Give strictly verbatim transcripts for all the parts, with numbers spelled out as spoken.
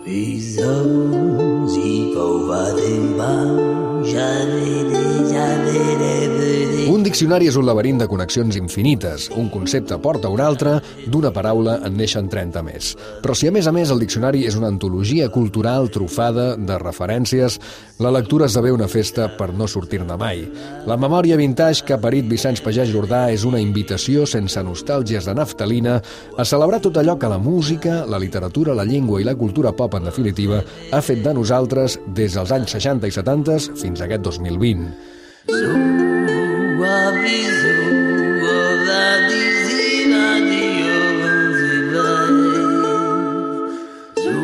Un diccionari és un laberint de connexions infinites. Un concepte porta un altre, d'una paraula en neixen trenta més. Però si a més a més el diccionari és una antologia cultural trufada de referències, la lectura esdevé una festa per no sortir-ne mai. La memòria vintage que ha parit Vicenç Pagès Jordà és una invitació sense nostàlgies de naftalina a celebrar tot allò que la música, la literatura, la llengua i la cultura pop, en definitiva, ha fet de nosaltres des dels anys seixanta i setanta fins a aquest dos mil vint.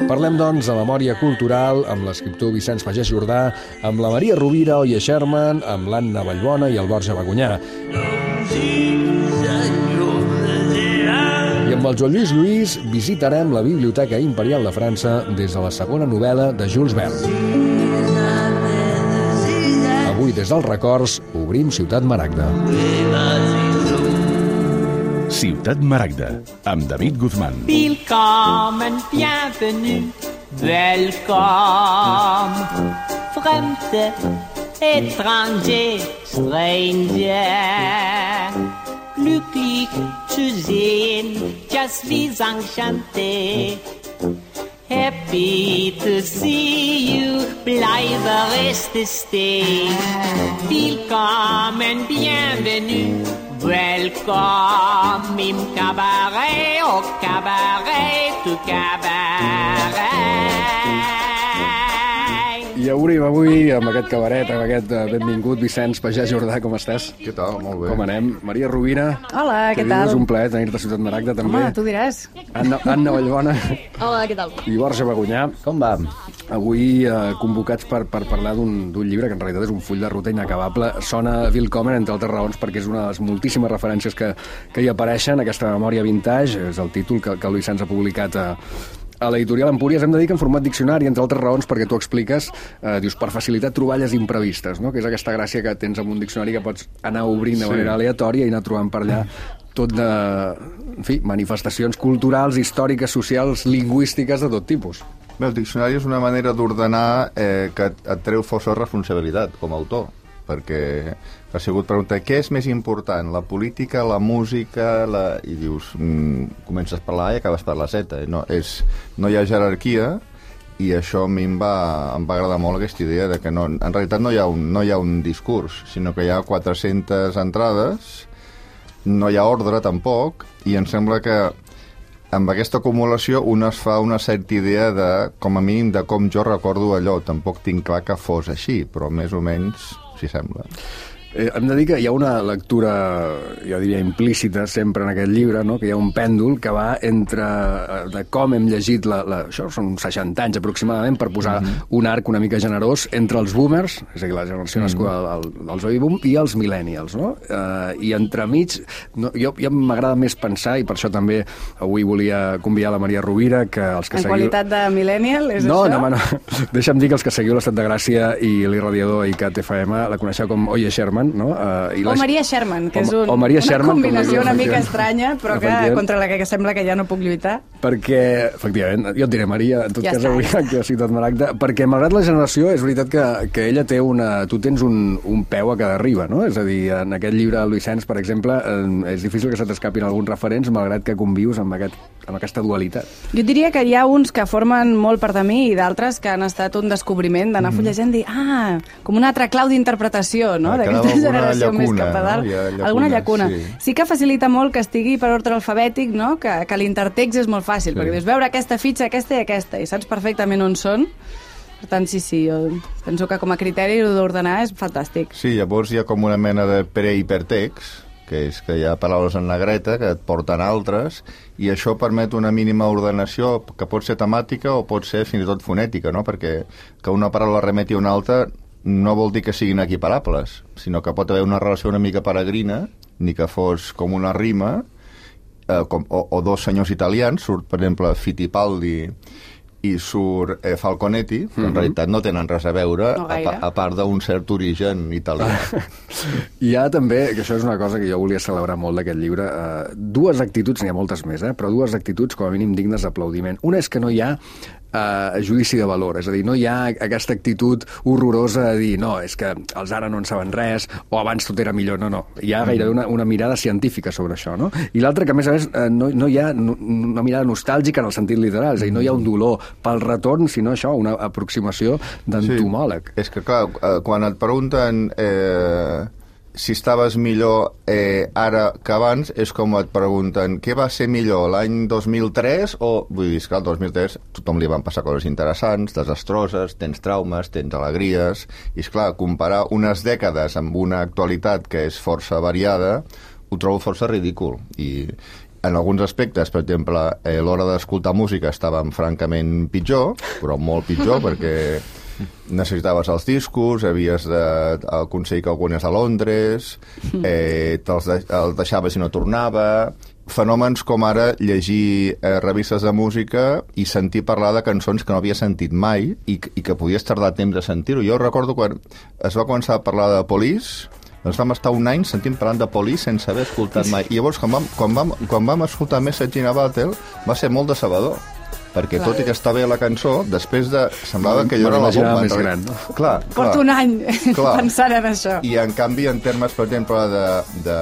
Parlem, doncs, de memòria cultural amb l'escriptor Vicenç Pagès Jordà, amb la Maria Rovira, Oia Sherman, amb l'Anna Vallbona i el Borja Bagonyà. I amb el Joan Lluís Lluís visitarem la Biblioteca Imperial de França des de la segona novel·la de Jules Verne. Avui, des dels records, obrim Ciutat Maragda. Ciutat Maragda, amb David Guzmán. Willkommen, bienvenue, welcome. Fremde, étranger, stranger. Glücklich zu sehen, just wie enchanté. Happy to see you, bleibe reste stay. Willkommen, bienvenue, welcome im cabaret, au cabaret, tu cabaret. I obrim avui amb aquest cabaret, amb aquest benvingut Vicenç Pagès Jordà. Com estàs? Què tal? Molt bé. Com anem? Maria Rovira. Hola, què tal? És un plaer tenir-te a Ciutat Maragda, també. Home, tu diràs. Anna, Anna Vallbona. Hola, què tal? I Borja Bagonyà. Com va? Avui eh, convocats per, per parlar d'un llibre que en realitat és un full de ruta inacabable. Sona Willkommen, entre altres raons, perquè és una de les moltíssimes referències que, que hi apareixen. Aquesta memòria vintage és el títol que, que el Vicenç ha publicat a, a l'editorial Empúries. Hem de dir que en format diccionari, entre altres raons, perquè tu expliques, eh, dius, per facilitar troballes imprevistes, no? Que és aquesta gràcia que tens amb un diccionari que pots anar obrint de manera sí. aleatòria i anar trobant per allà tot de, en fi, manifestacions culturals, històriques, socials, lingüístiques de tot tipus. Bé, el diccionari és una manera d'ordenar eh, que et, et treu força responsabilitat com a autor, perquè ha sigut preguntar què és més important, la política, la música, la... i dius, mm, comences per la A i acabes per la Z. No, és, no hi ha jerarquia, i això a mi em va, em va agradar molt aquesta idea de que no, en realitat no hi ha un, no hi ha un discurs, sinó que hi ha quatre-centes entrades, no hi ha ordre tampoc, i em sembla que amb aquesta acumulació un es fa una certa idea de, com a mínim, de com jo recordo allò. Tampoc tinc clar que fos així, però més o menys s'hi sembla. Eh, hem de dir que hi ha una lectura, jo diria, implícita sempre en aquest llibre, no? Que hi ha un pèndol que va entre de com hem llegit, la, la, això són seixanta anys aproximadament, per posar mm-hmm. un arc una mica generós entre els boomers, és a dir, la generació mm-hmm. nascuda del, dels baby boom, i els millennials, no? Eh, I entremig, no, jo, jo m'agrada més pensar, i per això també avui volia convidar la Maria Rovira, que els que en seguiu... qualitat de millennial, és no, això? No, no, no. Deixa'm dir que els que seguiu l'Estat de Gràcia i l'Irradiador i C A T F M la coneixeu com Oye Sherman, no? Uh, i o les... Maria Sherman, que és un, o, o Maria una Sherman, combinació una mica estranya, però que contra la que sembla que ja no puc lluitar. Perquè, efectivament, jo et diré Maria, en tot ja cas està, avui ja aquí a Ciutat Maragda, perquè malgrat la generació és veritat que, que ella té una... Tu tens un, un peu a cada riba, no? És a dir, en aquest llibre del Vicenç, per exemple, eh, és difícil que se t'escapin alguns referents, malgrat que convius amb, aquest, amb aquesta dualitat. Jo diria que hi ha uns que formen molt part de mi i d'altres que han estat un descobriment d'anar mm. fullejant i dir, ah, com una altra clau d'interpretació, no? Ah, d'aquesta generació llacuna, més cap a dalt. No? Llacuna, alguna llacuna. Sí. sí que facilita molt que estigui per ordre alfabètic, no? Que, que l'intertext és molt fàcil, sí. perquè dius, veure aquesta fitxa, aquesta i aquesta, i saps perfectament on són. Per tant, sí, sí, jo penso que com a criteri d'ordenar és fantàstic. Sí, llavors hi ha com una mena de pre-hipertext, que és que hi ha paraules en negreta que et porten altres, i això permet una mínima ordenació que pot ser temàtica o pot ser fins i tot fonètica, no? Perquè que una paraula remeti a una altra no vol dir que siguin equiparables, sinó que pot haver una relació una mica peregrina, ni que fos com una rima, eh, com, o, o dos senyors italians, surt, per exemple, Fittipaldi i surt eh, Falconetti, que en mm-hmm. realitat no tenen res a veure, no a, a part d'un cert origen italià. Hi ha també, que això és una cosa que jo volia celebrar molt d'aquest llibre, eh, dues actituds, n'hi ha moltes més, eh, però dues actituds com a mínim dignes d'aplaudiment. Una és que no hi ha eh, judici de valor. És a dir, no hi ha aquesta actitud horrorosa de dir no, és que els ara no en saben res o abans tot era millor. No, no. Hi ha gairebé una, una mirada científica sobre això, no? I l'altre que, a més a més, eh, no, no hi ha una mirada nostàlgica en el sentit literal. És a dir, no hi ha un dolor pel retorn, sinó això, una aproximació d'entomòleg. Sí. És que, clar, quan et pregunten eh, si estaves millor eh, ara que abans, és com et pregunten què va ser millor, l'any dos mil tres o... Vull dir, que el dos mil tres tothom li van passar coses interessants, desastroses, tens traumes, tens alegries, i és clar, comparar unes dècades amb una actualitat que és força variada, ho trobo força ridícul. I en alguns aspectes, per exemple, eh, l'hora d'escoltar música estàvem francament pitjor, però molt pitjor, perquè necessitaves els discos, havies d'aconseguir que algú anés a Londres, eh, te'ls de, el deixaves i no tornava, fenòmens com ara llegir eh, revistes de música i sentir parlar de cançons que no havia sentit mai i, i que podies tardar temps a sentir-ho. Jo recordo quan es va començar a parlar de Police, ens vam estar un any sentint parlant de Police sense haver escoltat mai. I llavors, quan vam, quan vam, quan vam escoltar Message in a Bottle, va ser molt decebedor, perquè clar, tot i que està bé la cançó, després de... semblava que jo era la bomba. Més gran, no? Clar, clar. Porto un any clar. pensant en això. I en canvi, en termes, per exemple, de, de,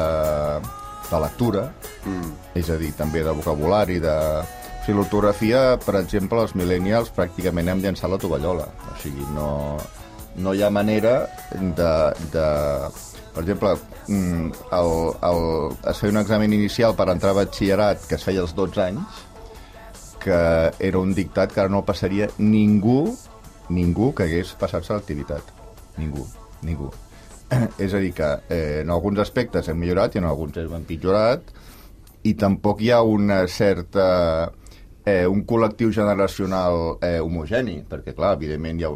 de lectura, mm. és a dir, també de vocabulari, de... O sigui, l'ortografia, per exemple, els millennials pràcticament hem llançat la tovallola. O sigui, no, no hi ha manera de... de per exemple, el, el, es feia un examen inicial per entrar a batxillerat que es feia als dotze anys, que era un dictat que ara no el passaria ningú, ningú que hagués passat selectivitat. Ningú, ningú. És a dir, que eh, en alguns aspectes hem millorat i en alguns hem empitjorat, i tampoc hi ha una certa... Eh, un col·lectiu generacional eh, homogeni, perquè, clar, evidentment hi ha...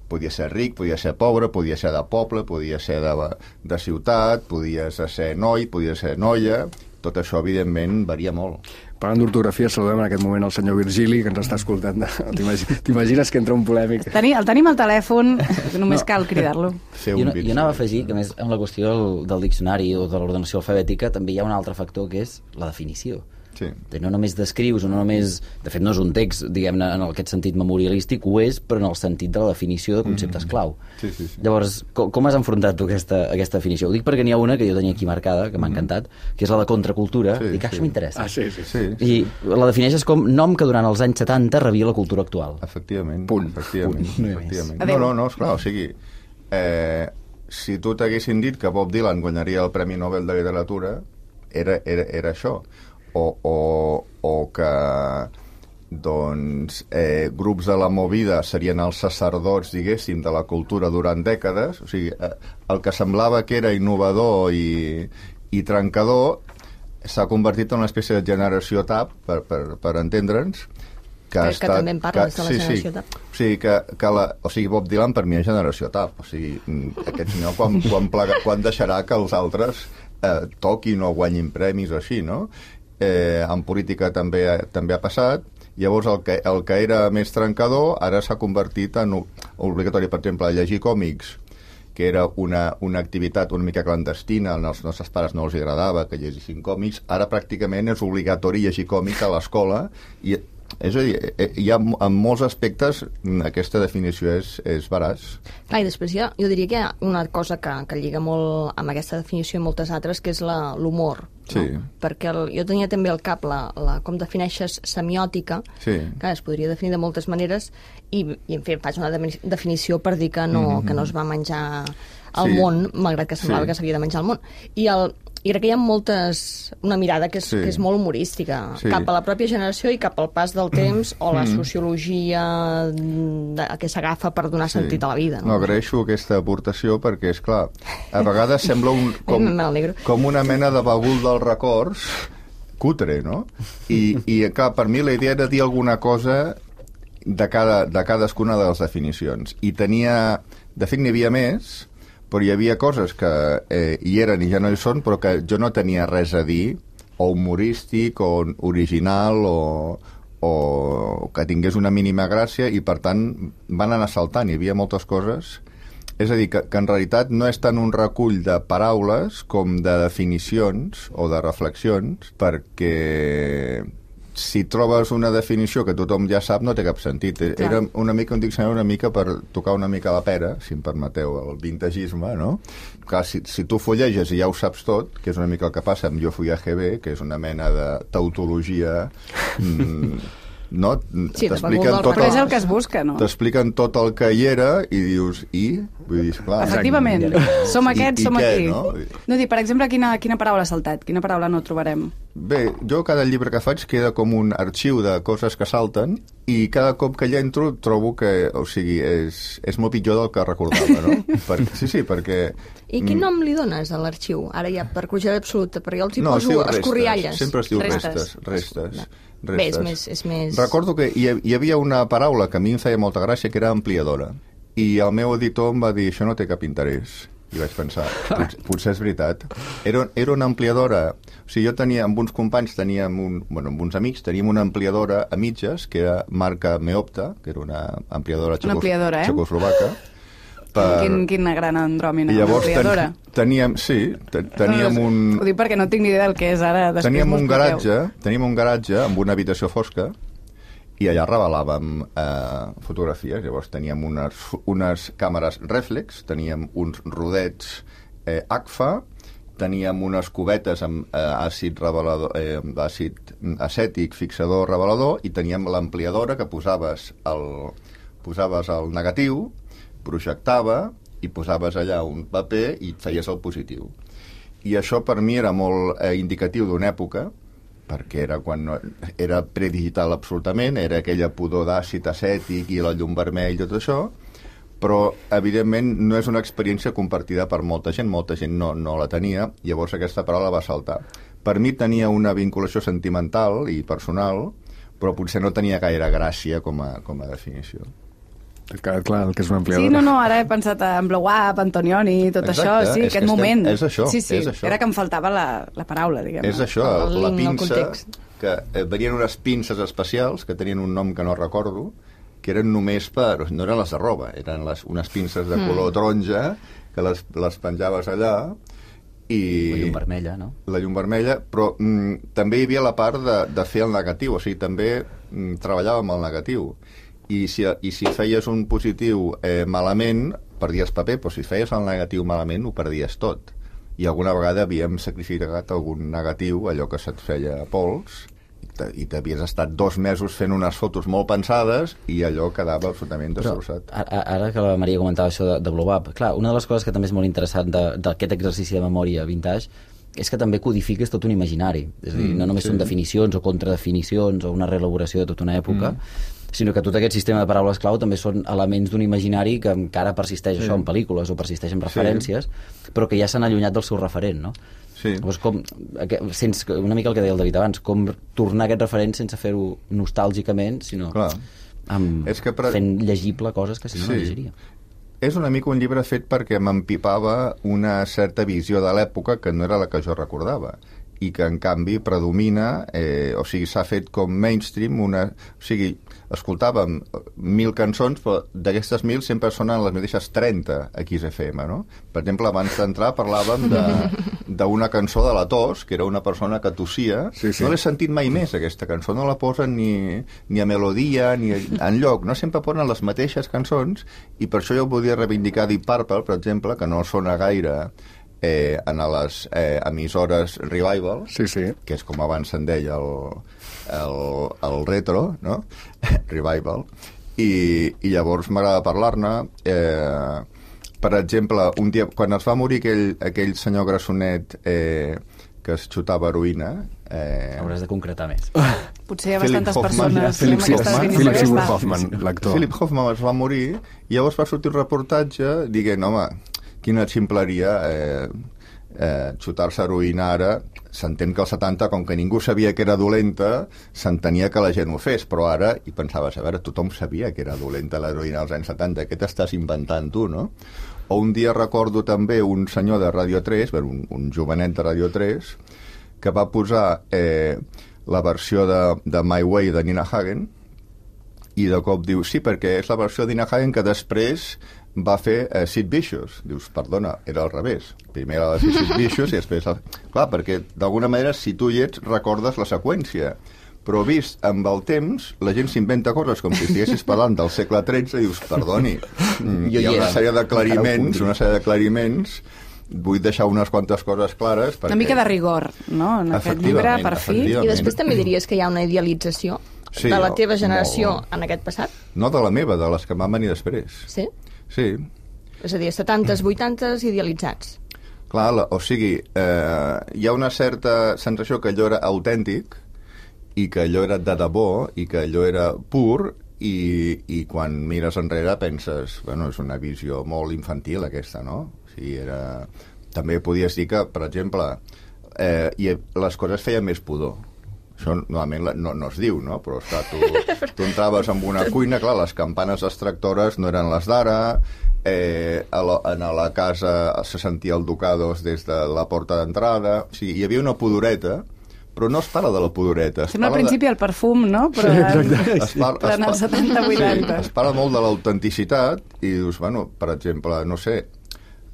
Podia ser ric, podia ser pobre, podia ser de poble, podia ser de, de ciutat, podia ser noi, podia ser noia... Tot això, evidentment, varia molt. Parlant d'ortografia, saludem en aquest moment el senyor Virgili, que ens està escoltant. T'imagines que entra un polèmic? Teni, el tenim al telèfon, només no. cal cridar-lo. Jo, jo anava a afegir que, més, amb la qüestió del, del diccionari o de l'ordenació alfabètica, també hi ha un altre factor, que és la definició. Sí. No només descrius, o no només... De fet, no és un text, diguem-ne, en aquest sentit memorialístic, ho és, però en el sentit de la definició de conceptes mm-hmm. clau. Sí, sí, sí. Llavors, com, com has enfrontat tu aquesta, aquesta definició? Ho dic perquè n'hi ha una que jo tenia aquí marcada, que m'ha encantat, que és la de contracultura, sí, i que això sí. m'interessa. Ah, sí, sí, sí. I la defineixes com nom que durant els anys setanta rebia la cultura actual. Efectivament. Punt. Efectivament. Punt. Efectivament. No, no, no, esclar, o sigui... Eh, si tu t'haguessin dit que Bob Dylan guanyaria el Premi Nobel de Literatura, era, era, era això. O, o, o que doncs, eh, grups de la movida serien els sacerdots, diguéssim, de la cultura durant dècades. O sigui, eh, el que semblava que era innovador i, i trencador s'ha convertit en una espècie de generació TAP, per, per, per entendre'ns, que, que, estat, que també en parles que, de la sí, generació sí. TAP. O sigui, que, que la, o sigui, Bob Dylan per mi és generació TAP. O sigui, aquest senyor quan, quan, plaga, quan deixarà que els altres eh, toquin o guanyin premis o així, no? Eh, en política també, també ha passat. Llavors el que, el que era més trencador ara s'ha convertit en obligatori, per exemple, llegir còmics, que era una, una activitat una mica clandestina, als nostres pares no els agradava que llegissin còmics, ara pràcticament és obligatori llegir còmics a l'escola, i és a dir, hi ha en molts aspectes aquesta definició és, és veraç. Clar, i després ja, jo diria que hi ha una cosa que, que lliga molt amb aquesta definició i moltes altres, que és l'humor. Sí. No? Perquè el, jo tenia també al cap la, la, com defineixes semiòtica, sí. que es podria definir de moltes maneres, i, i en fi, faig una de, definició per dir que no, mm-hmm. que no es va menjar al sí. món, malgrat que semblava sí. que s'havia de menjar al món. I el I crec que hi ha moltes... una mirada que és, sí. que és molt humorística, sí. cap a la pròpia generació i cap al pas del temps, o la sociologia de, que s'agafa per donar sí. sentit a la vida. No? no, agraeixo aquesta aportació perquè, és clar, a vegades sembla un, com, com una mena de bagul dels records cutre, no? I, i clar, per mi la idea era dir alguna cosa de, cada, de cadascuna de les definicions. I tenia... De fet, n'hi havia més, però hi havia coses que eh, hi eren i ja no hi són, però que jo no tenia res a dir, o humorístic, o original, o, o que tingués una mínima gràcia, i per tant van anar saltant, hi havia moltes coses. És a dir, que, que en realitat no és tant un recull de paraules com de definicions o de reflexions, perquè si trobes una definició que tothom ja sap, no té cap sentit. Clar. Era una mica un diccionari una mica per tocar una mica la pera, si em permeteu, el vintagisme, no? Clar, si, si tu fulleges i ja ho saps tot, que és una mica el que passa amb Jo fui a G B, que és una mena de tautologia... Mm, no? Sí, t'expliquen tot el... és el que es busca, no? T'expliquen tot el que hi era i dius, i? Vull dir, clar... Efectivament, som aquests, I, i som què, aquí. No? no dir, per exemple, quina, quina paraula ha saltat? Quina paraula no trobarem? Bé, jo cada llibre que faig queda com un arxiu de coses que salten i cada cop que hi entro trobo que, o sigui, és, és molt pitjor del que recordava, no? Per, sí, sí, perquè... I quin nom li dones a l'arxiu? Ara ja, per curiositat absoluta, perquè jo els hi no, poso restes, escorrialles. Sempre es diu restes. restes, restes. No. restes. Bé, és més, és més... Recordo que hi, hi havia una paraula que a mi em feia molta gràcia, que era ampliadora. I el meu editor em va dir, això no té cap interès. I vaig pensar, potser, potser és veritat. Era, era una ampliadora... O sigui, jo tenia, amb uns companys, teníem un, bueno, amb uns amics, teníem una ampliadora a mitges, que era marca Meopta, que era una ampliadora, una ampliadora eh? txecoslovaca. Per... Quin, quina gran andròmina, I llavors una ampliadora. Ten, teníem, sí, ten, teníem un... Ho dic perquè no tinc ni idea del que és ara. Teníem un garatge, teníem un garatge amb una habitació fosca i allà revelàvem eh, fotografies. Llavors teníem unes, unes càmeres reflex, teníem uns rodets eh, Agfa, teníem unes cubetes amb eh, àcid, revelador, eh, àcid acètic fixador revelador i teníem l'ampliadora que posaves el, posaves el negatiu, projectava i posaves allà un paper i et feies el positiu. I això per mi era molt eh, indicatiu d'una època, perquè era quan no, era predigital absolutament, era aquella pudor d'àcid acètic i la llum vermell i tot això, però evidentment no és una experiència compartida per molta gent, molta gent no, no la tenia, llavors aquesta paraula va saltar. Per mi tenia una vinculació sentimental i personal, però potser no tenia gaire gràcia com a, com a definició. Clar, clar, el que és una ampliadora. Sí, no, no, ara he pensat en Blow Up, Antonioni, tot Exacte, això, sí, aquest moment. Estem, és això, sí, sí, és això. Era que em faltava la, la paraula, diguem. És això, el, la el pinça, que eh, venien unes pinces especials, que tenien un nom que no recordo, que eren només per... No eren les de roba, eren les, unes pinces de color mm. taronja, que les, les penjaves allà, i... La llum vermella, no? La llum vermella, però mm, també hi havia la part de, de fer el negatiu, o sigui, també mm, treballàvem el negatiu. I si, i si feies un positiu eh, malament, perdies paper, però si feies el negatiu malament, ho perdies tot. I alguna vegada havíem sacrificat algun negatiu, allò que se't feia pols, i t'havies estat dos mesos fent unes fotos molt pensades i allò quedava absolutament destrossat. Ara, ara que la Maria comentava això de, de Blow Up, clar, una de les coses que també és molt interessant d'aquest exercici de memòria vintage és que també codifiques tot un imaginari. És a dir, no només mm, sí. són definicions o contradefinicions o una reelaboració de tota una època, mm. sinó que tot aquest sistema de paraules clau també són elements d'un imaginari que encara persisteix sí. això en pel·lícules o persisteix en referències, sí. però que ja s'han allunyat del seu referent, no? Sí. Llavors, com, sense, una mica el que deia el David abans, com tornar aquest referent sense fer-ho nostàlgicament, sinó amb, és que per... fent llegible coses que si no sí. no llegiria. És una mica un llibre fet perquè m'empipava una certa visió de l'època que no era la que jo recordava i que en canvi predomina, eh, o sigui, s'ha fet com mainstream una... O sigui, escoltàvem mil cançons, però d'aquestes mil sempre sonen les mateixes trenta a Kiss F M, no? Per exemple, abans d'entrar parlàvem d'una cançó de la tos, que era una persona que tossia. Sí, sí. No l'he sentit mai més, aquesta cançó. No la posen ni, ni a melodia, ni a enlloc. No sempre posen les mateixes cançons, i per això jo volia reivindicar Deep Purple, per exemple, que no sona gaire eh, en les eh, emissores Revival, sí, sí. que és com abans se'n deia el, el, el retro, no? Revival, i, i llavors m'agrada parlar-ne. Eh, per exemple, un dia, quan es va morir aquell, aquell senyor grassonet eh, que es xutava heroïna... Eh, Hauràs de concretar més. Potser hi ha Philip bastantes Hoffman, persones... Philip, amb Hoffman, Philip Seymour Hoffman, l'actor. Philip Hoffman es va morir i llavors va sortir un reportatge dient, home, quina ximpleria eh, eh, xutar-se heroïna ara. S'entén que als setanta, com que ningú sabia que era dolenta, s'entenia que la gent ho fes, però ara, i pensaves, a veure, tothom sabia que era dolenta l'heroïna als anys setanta, què t'estàs inventant tu, no? O un dia recordo també un senyor de Radio tres, un, un jovenet de Radio tres, que va posar eh, la versió de, de My Way de Nina Hagen, i de cop diu, sí, perquè és la versió de Nina Hagen que després va fer eh, Sid Vicious. Dius, perdona, era al revés. Primer va fer Sid Vicious i després... El... Clar, perquè d'alguna manera, si tu hi ets, recordes la seqüència. però vist amb el temps, la gent s'inventa coses com si estiguessis parlant del segle tretze i dius, perdoni, hi ha una sèrie d'aclariments, una sèrie d'aclariments, vull deixar unes quantes coses clares. Perquè... Una mica de rigor, no?, en aquest llibre, per fi. I després també diries que hi ha una idealització sí, de la teva generació no, en aquest passat? No de la meva, de les que van venir després. Sí? Sí. És a dir, setantes, vuitantes idealitzats. Clar, la, o sigui, eh, hi ha una certa sensació que allò era autèntic i que allò era de debò i que allò era pur i, i quan mires enrere penses, bueno, és una visió molt infantil aquesta, no? O sigui, era... També podies dir que, per exemple, eh, i les coses feien més pudor. Això normalment no, no es diu, no? Però esclar, tu, tu entraves en una cuina, clar, les campanes extractores no eren les d'ara, eh, a la, a la casa se sentia el Ducados des de la porta d'entrada, o sigui, hi havia una pudoreta, però no es parla de la pudoreta. Sembla al principi de... el perfum, no? Però sí, en, es parla, es parla, setanta vuitanta. Sí, es parla molt de l'autenticitat i dius, bueno, per exemple, no sé,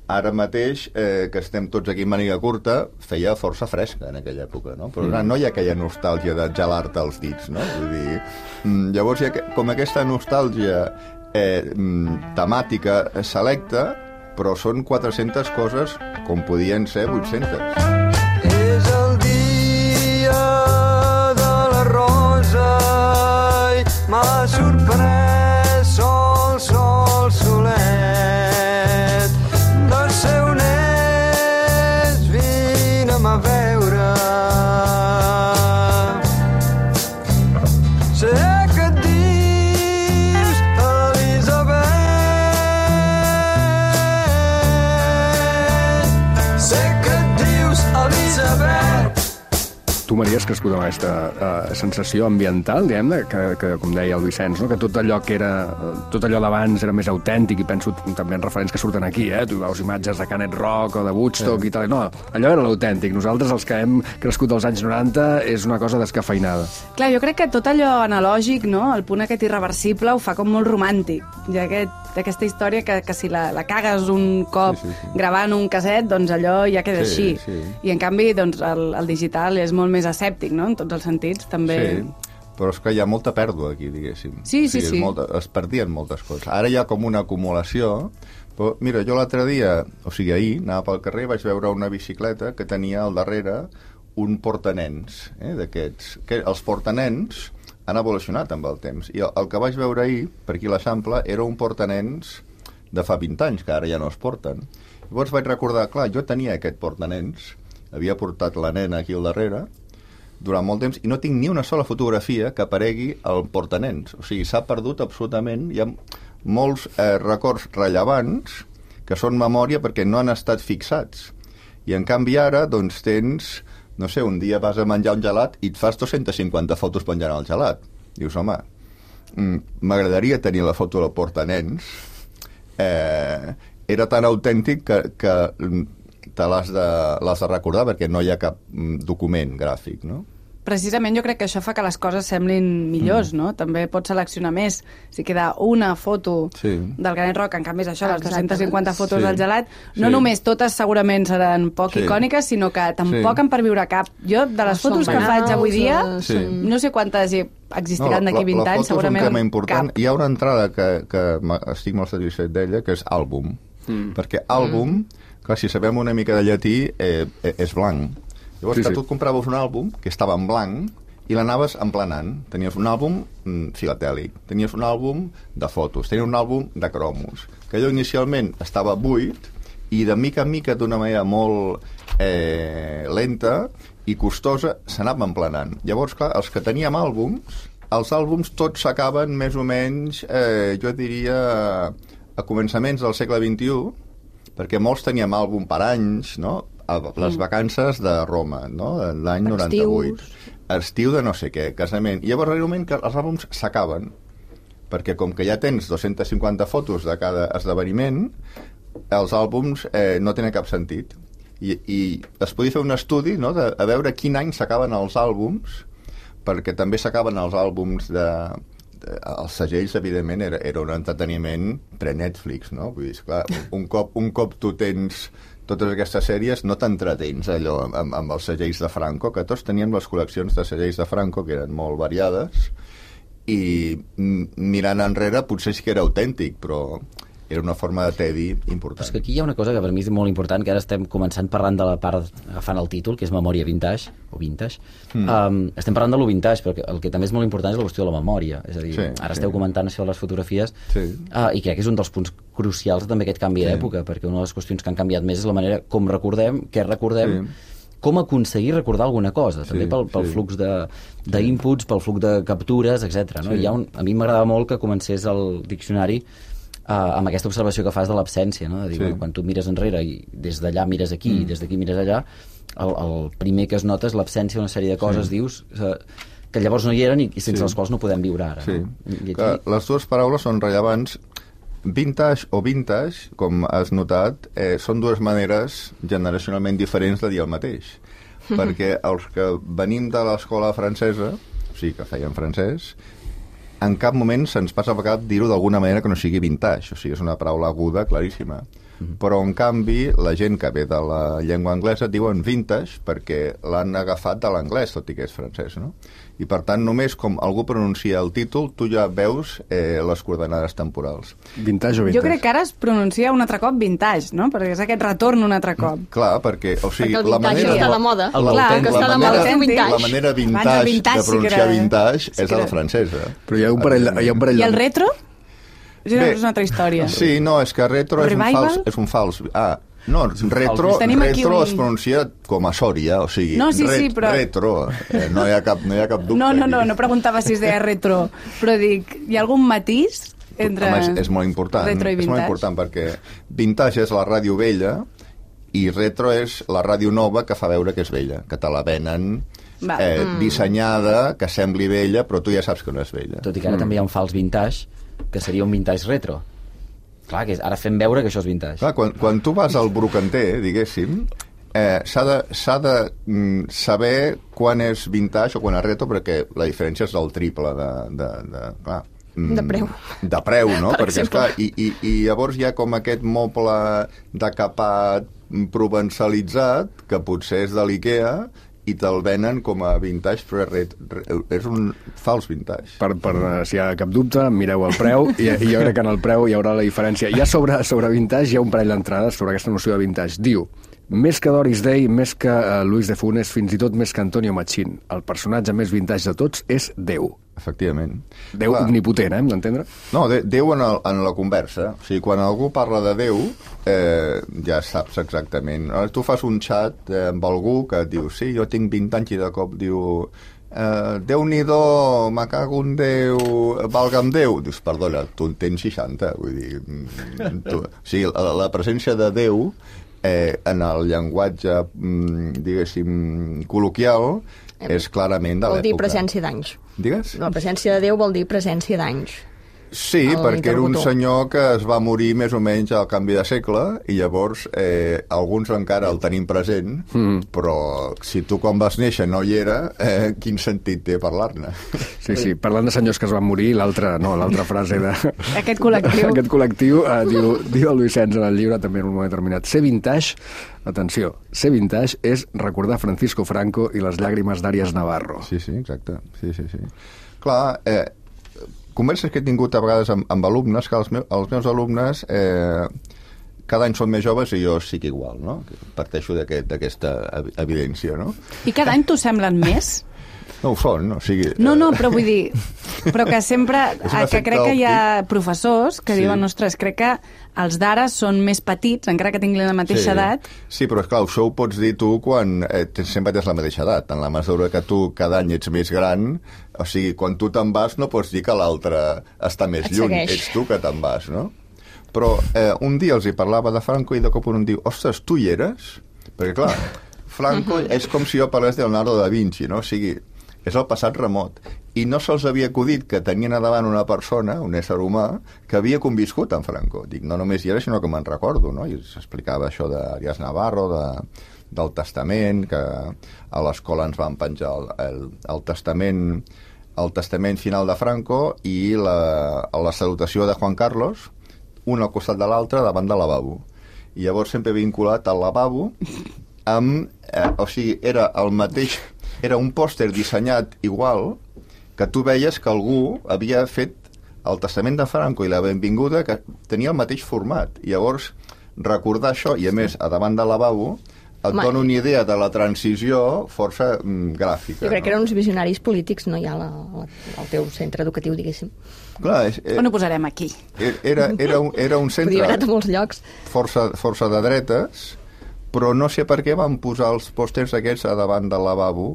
ara mateix, eh, que estem tots aquí en màniga curta, feia força fresca en aquella època, no? Però mm. no hi ha aquella nostàlgia de gelar-te els dits, no? Vull dir, mm, llavors hi ha com aquesta nostàlgia eh, mm, temàtica selecta, però són quatre-centes coses com podien ser vuit-centes. És el dia de la rosa i m'ha sorprès sol, sol, solet. A veure sé que et dius Elisabet, sé que et dius Elisabet. Tu, Maria, has crescut amb aquesta uh, sensació ambiental, diguem-ne, que, que, com deia el Vicenç, no? Que tot allò que era, tot allò d'abans era més autèntic, i penso també en referents que surten aquí, eh? Tu veus imatges de Canet Rock o de Woodstock sí. i tal. No, allò era l'autèntic. Nosaltres, els que hem crescut als anys noranta, és una cosa descafeinada. Clar, jo crec que tot allò analògic, no? El punt aquest irreversible ho fa com molt romàntic. I aquest, aquesta història que, que si la, la cagues un cop sí, sí, sí. gravant un casset, doncs allò ja queda sí, així. Sí. I en canvi, doncs, el, el digital és molt més escèptic, no?, en tots els sentits, també... Sí, però és que hi ha molta pèrdua aquí, diguéssim. Sí, sí, o sigui, sí. Molta, es perdien moltes coses. Ara hi ha com una acumulació, però mira, jo l'altre dia, o sigui, ahir, anava pel carrer i vaig veure una bicicleta que tenia al darrere un portanens, eh, d'aquests. Que els portanens han evolucionat amb el temps, i el, el que vaig veure ahir, per aquí a l'Eixample, era un portanens de fa vint anys, que ara ja no es porten. Llavors vaig recordar, clar, jo tenia aquest portanens, havia portat la nena aquí al darrere, durant molt temps, i no tinc ni una sola fotografia que aparegui al portanens. O sigui, s'ha perdut absolutament. Hi ha molts eh, records rellevants que són memòria perquè no han estat fixats. I en canvi ara, doncs, tens, no sé, un dia vas a menjar un gelat i et fas dos-centes cinquanta fotos penjant el gelat. Dius, home, m'agradaria tenir la foto del portanens. Eh, era tan autèntic que... que te l'has de, l'has de recordar perquè no hi ha cap document gràfic, no? Precisament jo crec que això fa que les coses semblin millors, mm. no? També pots seleccionar més. Si queda una foto sí. del Canet Rock, en canvi és això, les dos-centes cinquanta fotos sí. del gelat, no sí. només totes segurament seran poc sí. icòniques, sinó que tampoc sí. en perviure cap. Jo, de les no fotos que faig avui dia, sí. no sé quantes hi existiran no, d'aquí vint anys, segurament és un tema important. Cap. Hi ha una entrada que, que estic molt satisfet d'ella, que és àlbum. Mm. Perquè àlbum... Mm. Clar, si sabem una mica de llatí, eh, eh, és blanc. Llavors, sí, que sí. tu et compraves un àlbum que estava en blanc i l'anaves emplenant. Tenies un àlbum mm, filatèlic, tenies un àlbum de fotos, tenies un àlbum de cromos, que allò inicialment estava buit i de mica en mica, d'una manera molt eh, lenta i costosa, s'anava emplenant. Llavors, clar, els que teníem àlbums, els àlbums tots s'acaben més o menys, eh, jo diria, a començaments del segle vint-i-u, perquè molts teníem àlbum per anys, no? A les vacances de Roma, no? L'any noranta-vuit. Estiu de no sé què, casament. I llavors, realment, que els àlbums s'acaben, perquè com que ja tens dos-centes cinquanta fotos de cada esdeveniment, els àlbums eh, no tenen cap sentit. I, i es podia fer un estudi, no?, de a veure quin any s'acaben els àlbums, perquè també s'acaben els àlbums de, els segells, evidentment, era, era un entreteniment pre-Netflix, no? Vull dir, esclar, un cop, un cop tu tens totes aquestes sèries, no t'entretens allò amb, amb els segells de Franco, que tots teníem les col·leccions de segells de Franco, que eren molt variades, i mirant enrere potser sí que era autèntic, però era una forma de tedi important. Però és que aquí hi ha una cosa que per mi és molt important, que ara estem començant parlant de la part, agafant el títol, que és memòria vintage, o vintage. Mm. Um, estem parlant de lo vintage, però el que també és molt important és la qüestió de la memòria. És a dir, sí, ara sí. esteu comentant això de les fotografies, sí. uh, i crec que és un dels punts crucials també aquest canvi sí. d'època, perquè una de les qüestions que han canviat més és la manera com recordem, què recordem, sí. com aconseguir recordar alguna cosa, també sí, pel, pel sí. flux d'inputs, pel flux de captures, etcètera. No? Sí. Hi ha un, a mi m'agradava molt que comencés el diccionari Uh, amb aquesta observació que fas de l'absència, no? De dir, sí. bueno, quan tu mires enrere i des d'allà mires aquí mm. i des d'aquí mires allà, el, el primer que es nota és l'absència d'una sèrie de coses, sí. dius, uh, que llavors no hi eren i, i sense sí. les quals no podem viure ara. Sí. No? I aquí... Les dues paraules són rellevants. Vintage o vintage, com has notat, eh, són dues maneres generacionalment diferents de dir el mateix. Perquè els que venim de l'escola francesa, o sigui, que feien francès, en cap moment se'ns passa per cap dir-ho d'alguna manera que no sigui vintage, o sigui, és una paraula aguda, claríssima. Mm-hmm. Però, en canvi, la gent que ve de la llengua anglesa diuen vintage perquè l'han agafat de l'anglès, tot i que és francès, no? I, per tant, només com algú pronuncia el títol, tu ja veus eh, les coordenades temporals. Vintage o vintage? Jo crec que ara es pronuncia un altre cop vintage, no? Perquè és aquest retorn un altre cop. Clar, perquè, o sigui, perquè el la manera... està de moda. El Clar, que està de moda fer vintage. La manera vintage, vintage de pronunciar sí vintage sí és a la francesa. Però hi ha un parell... Hi ha un parell I el retro? És Bé, una altra història. Sí, no, és que retro és un, fals, és un fals... Ah, no, retro, retro un... es pronuncia com a Sòria, o sigui, no, sí, ret, sí, però... retro, eh, no, hi ha cap, no hi ha cap dubte. No, no, no, no preguntava si es deia retro, però dic, hi ha algun matís entre Home, és, és molt important, retro i vintage? És molt important perquè vintage és la ràdio vella i retro és la ràdio nova que fa veure que és vella, que te la venen eh, mm. dissenyada, que sembli vella, però tu ja saps que no és vella. Tot i que ara mm. també hi ha un fals vintage, que seria un vintage retro. Clar, que és, ara fem veure que això és vintage. Clar, quan, quan tu vas al brocanter, diguéssim, eh, s'ha de, s'ha de mm, saber quan és vintage o quan és retro, perquè la diferència és del triple de... de, de clar, mm, de preu. De preu, no? Per perquè, esclar, i, i, i llavors hi ha com aquest moble decapat, provençalitzat, que potser és de l'IKEA, i te'l venen com a vintage, però és, és un fals vintage. Per, per, si hi ha cap dubte, mireu el preu, i, i jo crec que en el preu hi haurà la diferència. Ja sobre, sobre vintage hi ha un parell d'entrades sobre aquesta noció de vintage. Diu, més que Doris Day, més que uh, Luis de Funes, fins i tot més que Antonio Machín, el personatge més vintage de tots és Déu. Efectivament. Déu Clar. Omnipotent, eh, hem d'entendre? No, de, Déu en, el, en la conversa. O sigui, quan algú parla de Déu, eh, ja saps exactament. Tu fas un xat eh, amb algú que et diu, sí, jo tinc vint anys i de cop diu... Uh, Déu-n'hi-do, me cago en Déu, valga'm Déu. Dius, perdona, tu en tens seixanta. Vull dir, tu, o sigui, la, la presència de Déu eh, en el llenguatge, mm, diguéssim, col·loquial, és clarament de l'època. Vol dir presència d'anys. Digues? La presència de Déu vol dir presència d'anys. Sí, perquè era un senyor que es va morir més o menys al canvi de segle i llavors eh, alguns encara el tenim present, mm. però si tu quan vas néixer no hi era, eh, quin sentit té parlar-ne? Sí, sí, parlant de senyors que es van morir, l'altra no, l'altra frase de... Aquest col·lectiu. Aquest col·lectiu, eh, diu, diu el Lluís Sens en el llibre també en un moment determinat. Ser vintage, atenció, ser vintage és recordar Francisco Franco i les llàgrimes d'Àries Navarro. Sí, sí, exacte. Sí, sí, sí. Clar, eh, converses que he tingut a vegades amb, amb alumnes, que els, meus, els meus alumnes eh, cada any són més joves i jo sí que igual, no? Parteixo d'aquesta aquest, evidència, no? I cada any t'ho semblen més? No ho són, no? O sigui, no, no, però vull dir... Però que sempre... Que crec que hi ha professors que sí. diuen, ostres, crec que els d'ara són més petits, encara que tinguin la mateixa sí. edat. Sí, però esclar, això ho pots dir tu quan eh, sempre tens la mateixa edat. En la mesura que tu cada any ets més gran, o sigui, quan tu te'n vas no pots dir que l'altre està més Et lluny. segueix. Ets tu que te'n vas, no? Però eh, un dia els hi parlava de Franco i de cop un em diu, ostres, tu hi eres? Perquè clar, Franco és com si jo parlés de Leonardo da Vinci, no? O sigui, és el passat remot. I no se'ls havia acudit que tenien a davant una persona, un ésser humà, que havia conviscut amb Franco. Dic, no només hi era, sinó que me'n recordo, no? I s'explicava això d'Àries Navarro, de, del testament, que a l'escola ens van penjar el, el, el testament el testament final de Franco i la, la salutació de Juan Carlos, un al costat de l'altre davant del lavabo. I llavors sempre vinculat al lavabo amb... Eh, o sigui, era el mateix... Era un pòster dissenyat igual que tu veies que algú havia fet el testament de Franco i la benvinguda, que tenia el mateix format. I llavors, recordar això, i a més, a davant del lavabo, et Ma... dona una idea de la transició força mm, gràfica. Jo crec no? que eren uns visionaris polítics, no ja la, la, el teu centre educatiu, diguéssim. Clar, és, eh, On ho posarem aquí? era, era, un, era un centre Podria haver anat a molts llocs. força, força de dretes, però no sé per què van posar els pòsters aquests a davant del lavabo.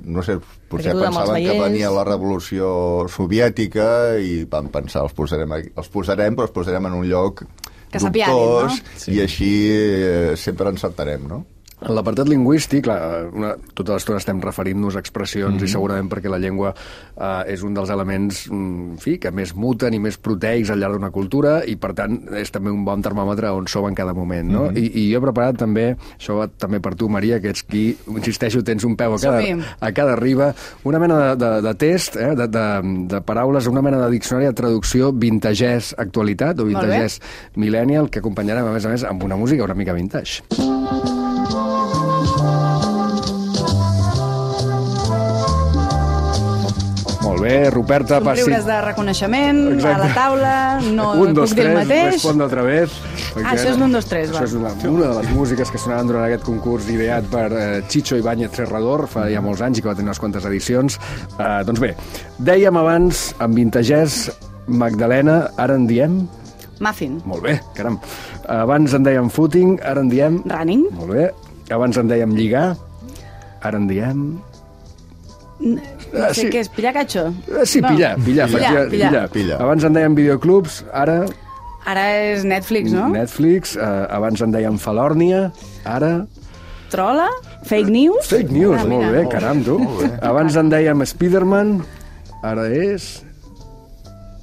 No sé, potser pensaven que venia la revolució soviètica i van pensar, els posarem, aquí, els posarem però els posarem en un lloc que s'apianin, no? Sí. I així eh, sempre encertarem, no? En l'apartat lingüístic, clar, una, tota l'estona estem referint-nos a expressions mm-hmm. i segurament perquè la llengua eh, és un dels elements en fi, que més muten i més proteics al llarg d'una cultura i, per tant, és també un bon termòmetre on som en cada moment, no? Mm-hmm. I, I jo he preparat també, això va també per tu, Maria, que ets qui, insisteixo, tens un peu a cada, a cada riba, una mena de, de, de test, eh, de, de, de paraules, una mena de diccionari de traducció vintagès actualitat o vintagès millennial, que acompanyarem, a més a més, amb una música una mica vintage. Molt bé, Ruperta, passi... Somriures de reconeixement, exacte, a la taula, no un, dos, puc dir el tres, mateix. Respon otra vez. Ah, això és l'un, dos, tres, va. Això és una, una de les músiques que sonaven durant aquest concurs ideat per eh, Chicho Ibáñez Serrador, fa ja molts anys i que va tenir unes quantes edicions. Eh, doncs bé, dèiem abans, en vintagès, Magdalena, ara en diem... Muffin. Molt bé, caram. Abans en dèiem footing, ara en diem... Running. Molt bé. Abans en dèiem lligar, ara en diem... No Ah, sé sí. què és, pillar catxo? Sí, No. pillar, pillar, Pillar, pillar, pillar. Pillar. Abans en dèiem videoclubs, ara... Ara és Netflix, no? Netflix, eh, abans en dèiem Falòrnia, ara... Trola? Fake news? Fake news, Ah, molt mira. bé, caram, tu. Abans en dèiem Spiderman, ara és...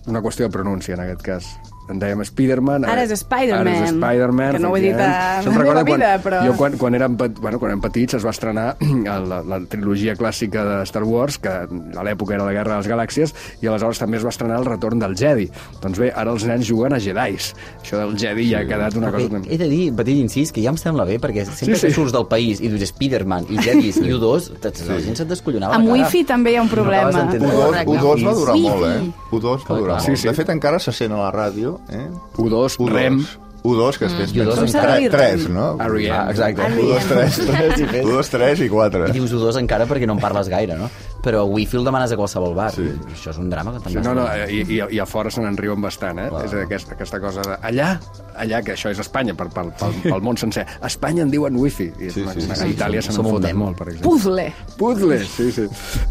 Una qüestió de pronúncia, en aquest cas. En dèiem Spiderman... Ara és Spider-Man. Ara és Spider-Man. Que no ho he dit a Se'm la recorda meva vida, quan, però- Jo, quan, quan, érem, pet- bueno, quan érem petits, es va estrenar la, la trilogia clàssica de Star Wars, que a l'època era la Guerra de les Galàxies, i aleshores també es va estrenar el retorn del Jedi. Doncs bé, ara els nens juguen a Jedis. Això del Jedi ja ha quedat una cosa... He de dir, petit incís, que ja em sembla bé, perquè sempre Sí, que sí. surts del país i dius Spiderman i Jedis i U dos, la gent se't descollonava Amb la cara. wifi també hi ha un problema. No acabes d'entendre. U dos, U dos va durar Wifi. molt, eh? U dos va durar Sí, molt. sí. De fet, encara se sent a la ràdio, eh? U dos, Rem... U dos, que després U dos pensen encara. tre- tres, no? R E M. Ah, exacte. U dos, tres, Tres i fet. U dos, tres i quatre. I dius U dos encara perquè no en parles gaire, no? Però wifi el demanes a qualsevol bar. Sí. Això és un drama que Sí, també... no, no, i, i, i a fora se n'en riuen bastant, eh? És aquesta, aquesta cosa de... Allà, allà, que això és Espanya, per, per, pel, pel món sencer. A Espanya en diuen wifi. I Sí, una, sí, una, sí, a Itàlia se Som n'en un foten mem. molt, per exemple. Puzzle. Puzzle, sí, sí.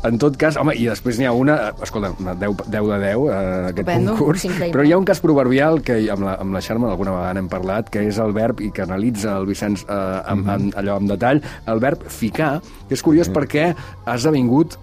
En tot cas, home, i després n'hi ha una, escolta, una deu, deu de deu, eh, aquest Estupendo. concurs, Increïble. però hi ha un cas proverbial que amb la, amb la Xarma alguna vegada n'hem parlat, que és el verb, i que analitza el Vicenç eh, amb, amb, allò amb detall, el verb ficar, que és curiós perquè ha esdevingut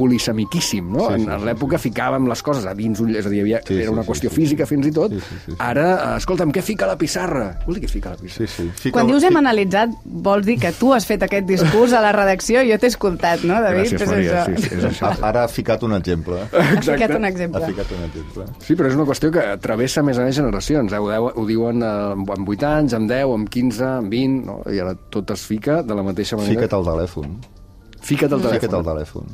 polisemiquíssim, no? Sí, sí, en en l'època ficàvem les coses a dins, un- és a dir, hi havia, Sí, sí, era una sí, qüestió sí, física fins i tot. Sí, sí, sí, sí. Ara, eh, escolta'm, què fica la pissarra? Vol dir què fica la pissarra? Sí, sí. Fica Quan el- dius hem fi- analitzat, vols dir que tu has fet aquest discurs a la redacció? Jo t'he escoltat, no, David? Gràcies, És Maria, això. sí, sí, és això. Ah, Ara ha ficat un exemple. Has ficat un Ha exemple. ficat un exemple. Sí, però és una qüestió que travessa, a més a més, generacions. Eh? Ho, deu, ho diuen eh, amb vuit anys, amb deu, amb quinze, amb vint, no? I ara tot es fica de la mateixa manera. Fica't al telèfon. Fica't al telèfon. Fica't al telèfon.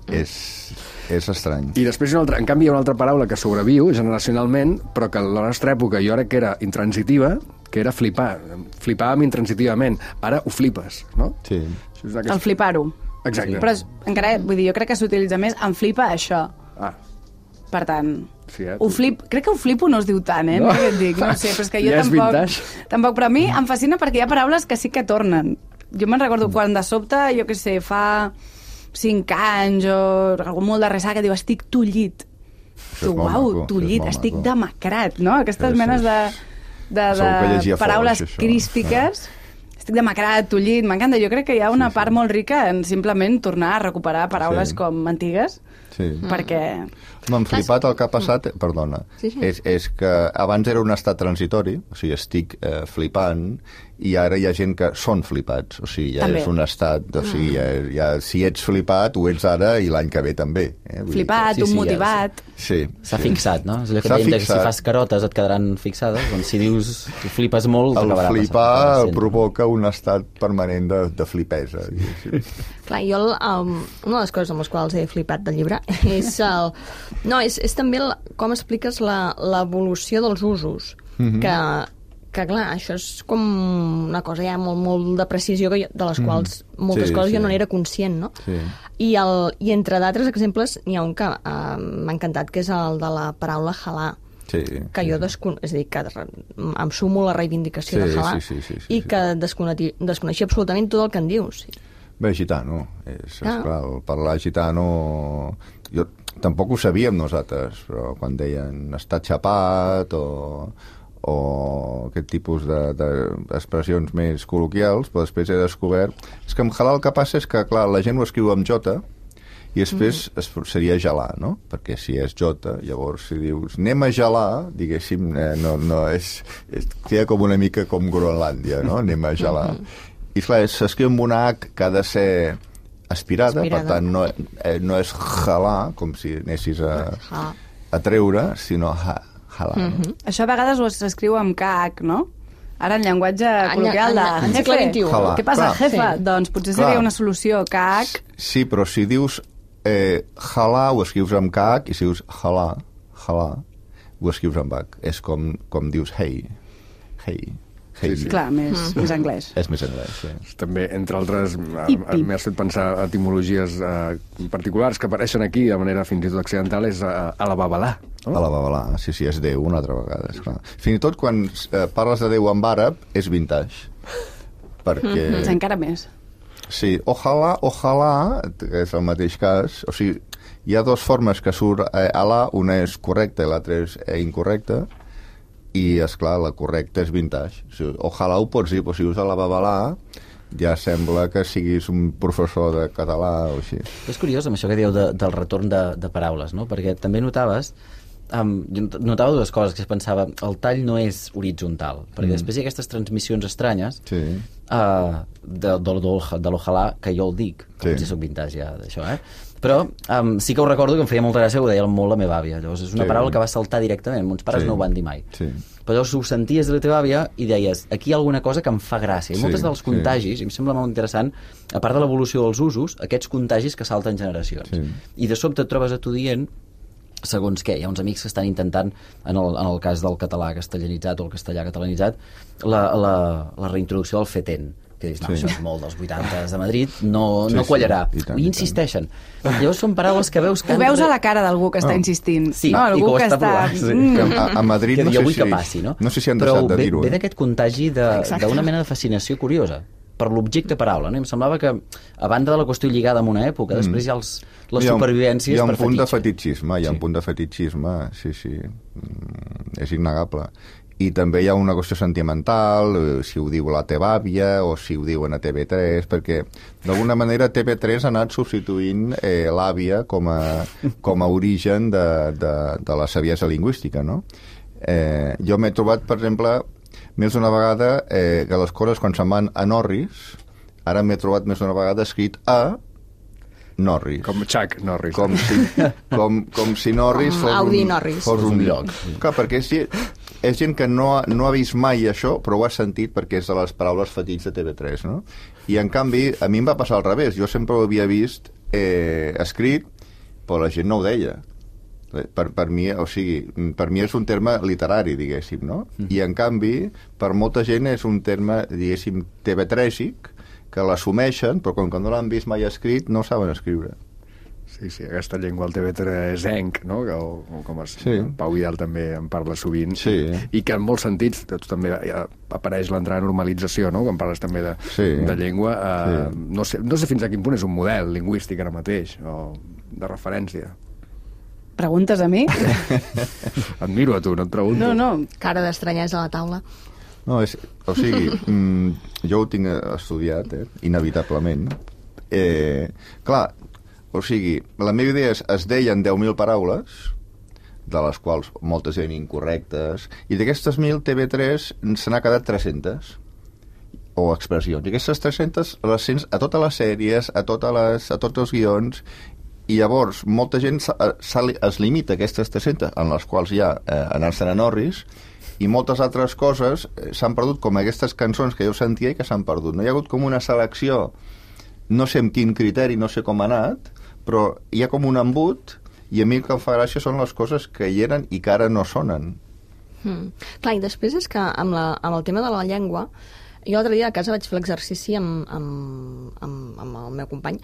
És, és estrany. I després, una altra, en canvi, hi ha una altra paraula que sobreviu generacionalment, però que a la nostra època jo crec que era intransitiva, que era flipar. Flipàvem intransitivament. Ara ho flipes, no? Sí. Això és aquesta... El flipar-ho. Exacte. Però és, encara, vull dir, jo crec que s'utilitza més en flipa això. Ah, Per tant, sí, eh? ho flip, crec que ho flipo no es diu tant, eh? No. No, què et dic, no ho sé, però és que jo Ja és tampoc, vintage. tampoc... Però a mi em fascina perquè hi ha paraules que sí que tornen. Jo me'n recordo quan de sobte, jo què sé, fa cinc anys o algú molt de ressaca diu estic tullit. Això és Tu, molt uau, maco, tullit, és molt estic maco. demacrat, no? Aquestes Sí, sí. menes de, de, Segur que llegia de fort, paraules això. crístiques. Estic demacrat, tullit, m'encanta. Jo crec que hi ha una Sí, sí. part molt rica en simplement tornar a recuperar paraules Sí. com antigues. Sí. perquè... M'han flipat el que ha passat, perdona, Sí, sí. És, és que abans era un estat transitori, o sigui, estic eh, flipant, i ara hi ha gent que són flipats, o sigui, ja També. és un estat, o sigui, ja, ja, si ets flipat, ho ets ara i l'any que ve també. Eh? Vull dir Flipat, Sí, un sí, ja motivat... Que, sí. S'ha sí. fixat, no? És allò que S'ha dèiem que si fixat. fas carotes et quedaran fixades, doncs si dius que flipes molt, El t'acabarà flipar passant. provoca un estat permanent de, de flipesa. Sí. Clar, jo, el, um, una de les coses amb les quals he flipat del llibre és, el, no, és, és també el, com expliques la- l'evolució dels usos, Mhm. que, que clar, això és com una cosa ja molt, molt de precisió que jo, de les quals moltes Sí, coses sí. jo no n'era conscient, no? Sí. I, el, I entre d'altres exemples n'hi ha un que uh, m'ha encantat, que és el de la paraula halà, Sí. que jo descon... és a dir, que re- em sumo a la reivindicació Sí, de halà, sí, sí, sí, sí, i sí. que desconeixia, desconeixia absolutament tot el que en dius. Bé, gitano. És, Ah. esclar, el parlar gitano... Jo, tampoc ho sabíem nosaltres, però quan deien estar xapat o, o aquest tipus d'expressions de, de més col·loquials, però després he descobert... És que en halal el que passa és que, clar, la gent ho escriu amb jota i després mm. es, seria gelar, no? Perquè si és jota, llavors si dius anem a gelar, diguéssim, eh, no, no, és, és, queda com una mica com Groenlàndia, no? Anem a gelar. I clar, s'escriu amb una H que ha de ser aspirada, Aspirada. per tant no, eh, no és jalar, com si anessis a, Ha. a treure, sinó ha, jalar. Mhm. No? Això a vegades ho s'escriu amb K H, no? Ara en llenguatge col·loquial de... en- en segle vint-i-u. Jalà. Què passa, Clar. jefa? Sí. Doncs potser seria Clar. una solució, K H. Sí, però si dius eh, jalar, ho escrius amb K H, i si dius jalar, jalar, ho escrius amb H. És com, com dius hey, hey, hey. Sí, sí. Clar, més, més anglès. És més anglès, sí. També, entre altres, I pip. m'has fet pensar etimologies eh, particulars que apareixen aquí de manera fins i tot accidental, és eh, a la babalà. No? A la babalà, sí, sí, és Déu una altra vegada, esclar. Fins i tot quan eh, parles de Déu en àrab, és vintage. Perquè... Doncs encara més. Sí, ojalà, ojalà, que és el mateix cas, o sigui, hi ha dues formes que surt eh, Alà, una és correcta i l'altra és eh, incorrecta, i, és clar la correcta és vintage. O sigui, ojalà ho pots dir, però si usa la babalà, ja sembla que siguis un professor de català o així. És curiós amb això que dieu de, del retorn de, de paraules, no? Perquè també notaves, um, jo notava dues coses, que es pensava, el tall no és horitzontal, perquè mm. després hi ha aquestes transmissions estranyes Sí. uh, de, de, de, de l'ojalà, que jo el dic, que Sí. potser soc vintage ja d'això, eh? Però um, sí que ho recordo que em feia molta gràcia, ho deia molt la meva àvia. Llavors és una Sí. paraula que va saltar directament, mons pares Sí. no ho van dir mai. Sí. Però llavors ho senties de la teva àvia i deies, aquí hi ha alguna cosa que em fa gràcia. I Sí, moltes dels sí. contagis, i em sembla molt interessant, a part de l'evolució dels usos, aquests contagis que salten generacions. Sí. I de sobte et trobes a tu dient, segons què, hi ha uns amics que estan intentant, en el, en el cas del català castellanitzat o el castellà catalanitzat, la, la, la reintroducció del feten, que dius, no, Sí. això és molt dels vuitanta de Madrid, no, Sí, no sí, quallarà. i tant, I i insisteixen. Llavors són paraules que veus que... Ho han veus re- a la cara d'algú que està Oh. insistint. Sí, no? i Algú que ho que està està... provant, sí. Mm. Que a, a Madrid que no jo sé, vull si, que passi, no? no sé si han Però deixat de ve, dir-ho. ve Eh? d'aquest contagi de- Exacte. d'una mena de fascinació curiosa per l'objecte paraula, no? I em semblava que, a banda de la qüestió lligada amb una època, Mm. després hi ha els, les Hi ha un- supervivències hi ha un per punt de fetitxe. fetichisme, hi ha Sí. un punt de fetichisme, sí, sí, mm, és innegable. I també hi ha una qüestió sentimental, eh, si ho diu la teva àvia o si ho diuen a T V tres, perquè d'alguna manera T V tres ha anat substituint eh, l'àvia com a, com a origen de, de, de la saviesa lingüística, no? Eh, jo m'he trobat, per exemple, més d'una vegada eh, que les coses quan se'n van a Norris, ara m'he trobat més d'una vegada escrit a Norris. Com Chuck Norris. Com si, com, com si Norris Com fos Audi un, Norris. fos un un lloc. lloc. Clar, perquè és, gent- és gent que no ha, no ha vist mai això, però ho ha sentit perquè és de les paraules fetits de T V tres, no? I, en canvi, a mi em va passar al revés. Jo sempre ho havia vist eh, escrit, però la gent no ho deia. Per, per, mi, o sigui, per mi és un terme literari, diguéssim, no? Mm. I, en canvi, per molta gent és un terme, diguéssim, T V trèsic, que l'assumeixen, però com que no l'han vist mai escrit, no saben escriure. Sí, sí, aquesta llengua al T V tres enc, no? Que, o, o com es, Sí. Pau Vidal també en parla sovint. Sí. I que en molts sentits, tu també ja apareix l'entrada a normalització, no? Quan parles també de, Sí. de llengua. Eh, Sí. no, sé, no sé fins a quin punt és un model lingüístic ara mateix, o de referència. Preguntes a mi? Et miro a tu, no et pregunto. No, no. Cara d'estranyesa a la taula. No, és, o sigui, mm, jo ho tinc estudiat, eh, inevitablement. Eh, clar, O sigui, la meva idea és, es deien deu mil paraules, de les quals moltes eren incorrectes, i d'aquestes mil, T V tres se n'ha quedat tres-centes, o expressions. I aquestes tres-centes les sents a totes les sèries, a, totes les, a tots els guions, i llavors molta gent es limita a aquestes tres-centes, en les quals hi ha eh, anar-se'n a Norris, i moltes altres coses s'han perdut, com aquestes cançons que jo sentia i que s'han perdut. No hi ha hagut com una selecció, no sé amb quin criteri, no sé com ha anat, però hi ha com un embut, i a mi el que em fa gràcia són les coses que hi eren i que ara no sonen. Hmm. Clar, i després és que amb, la, amb el tema de la llengua, jo l'altre dia a casa vaig fer l'exercici amb, amb, amb, amb el meu company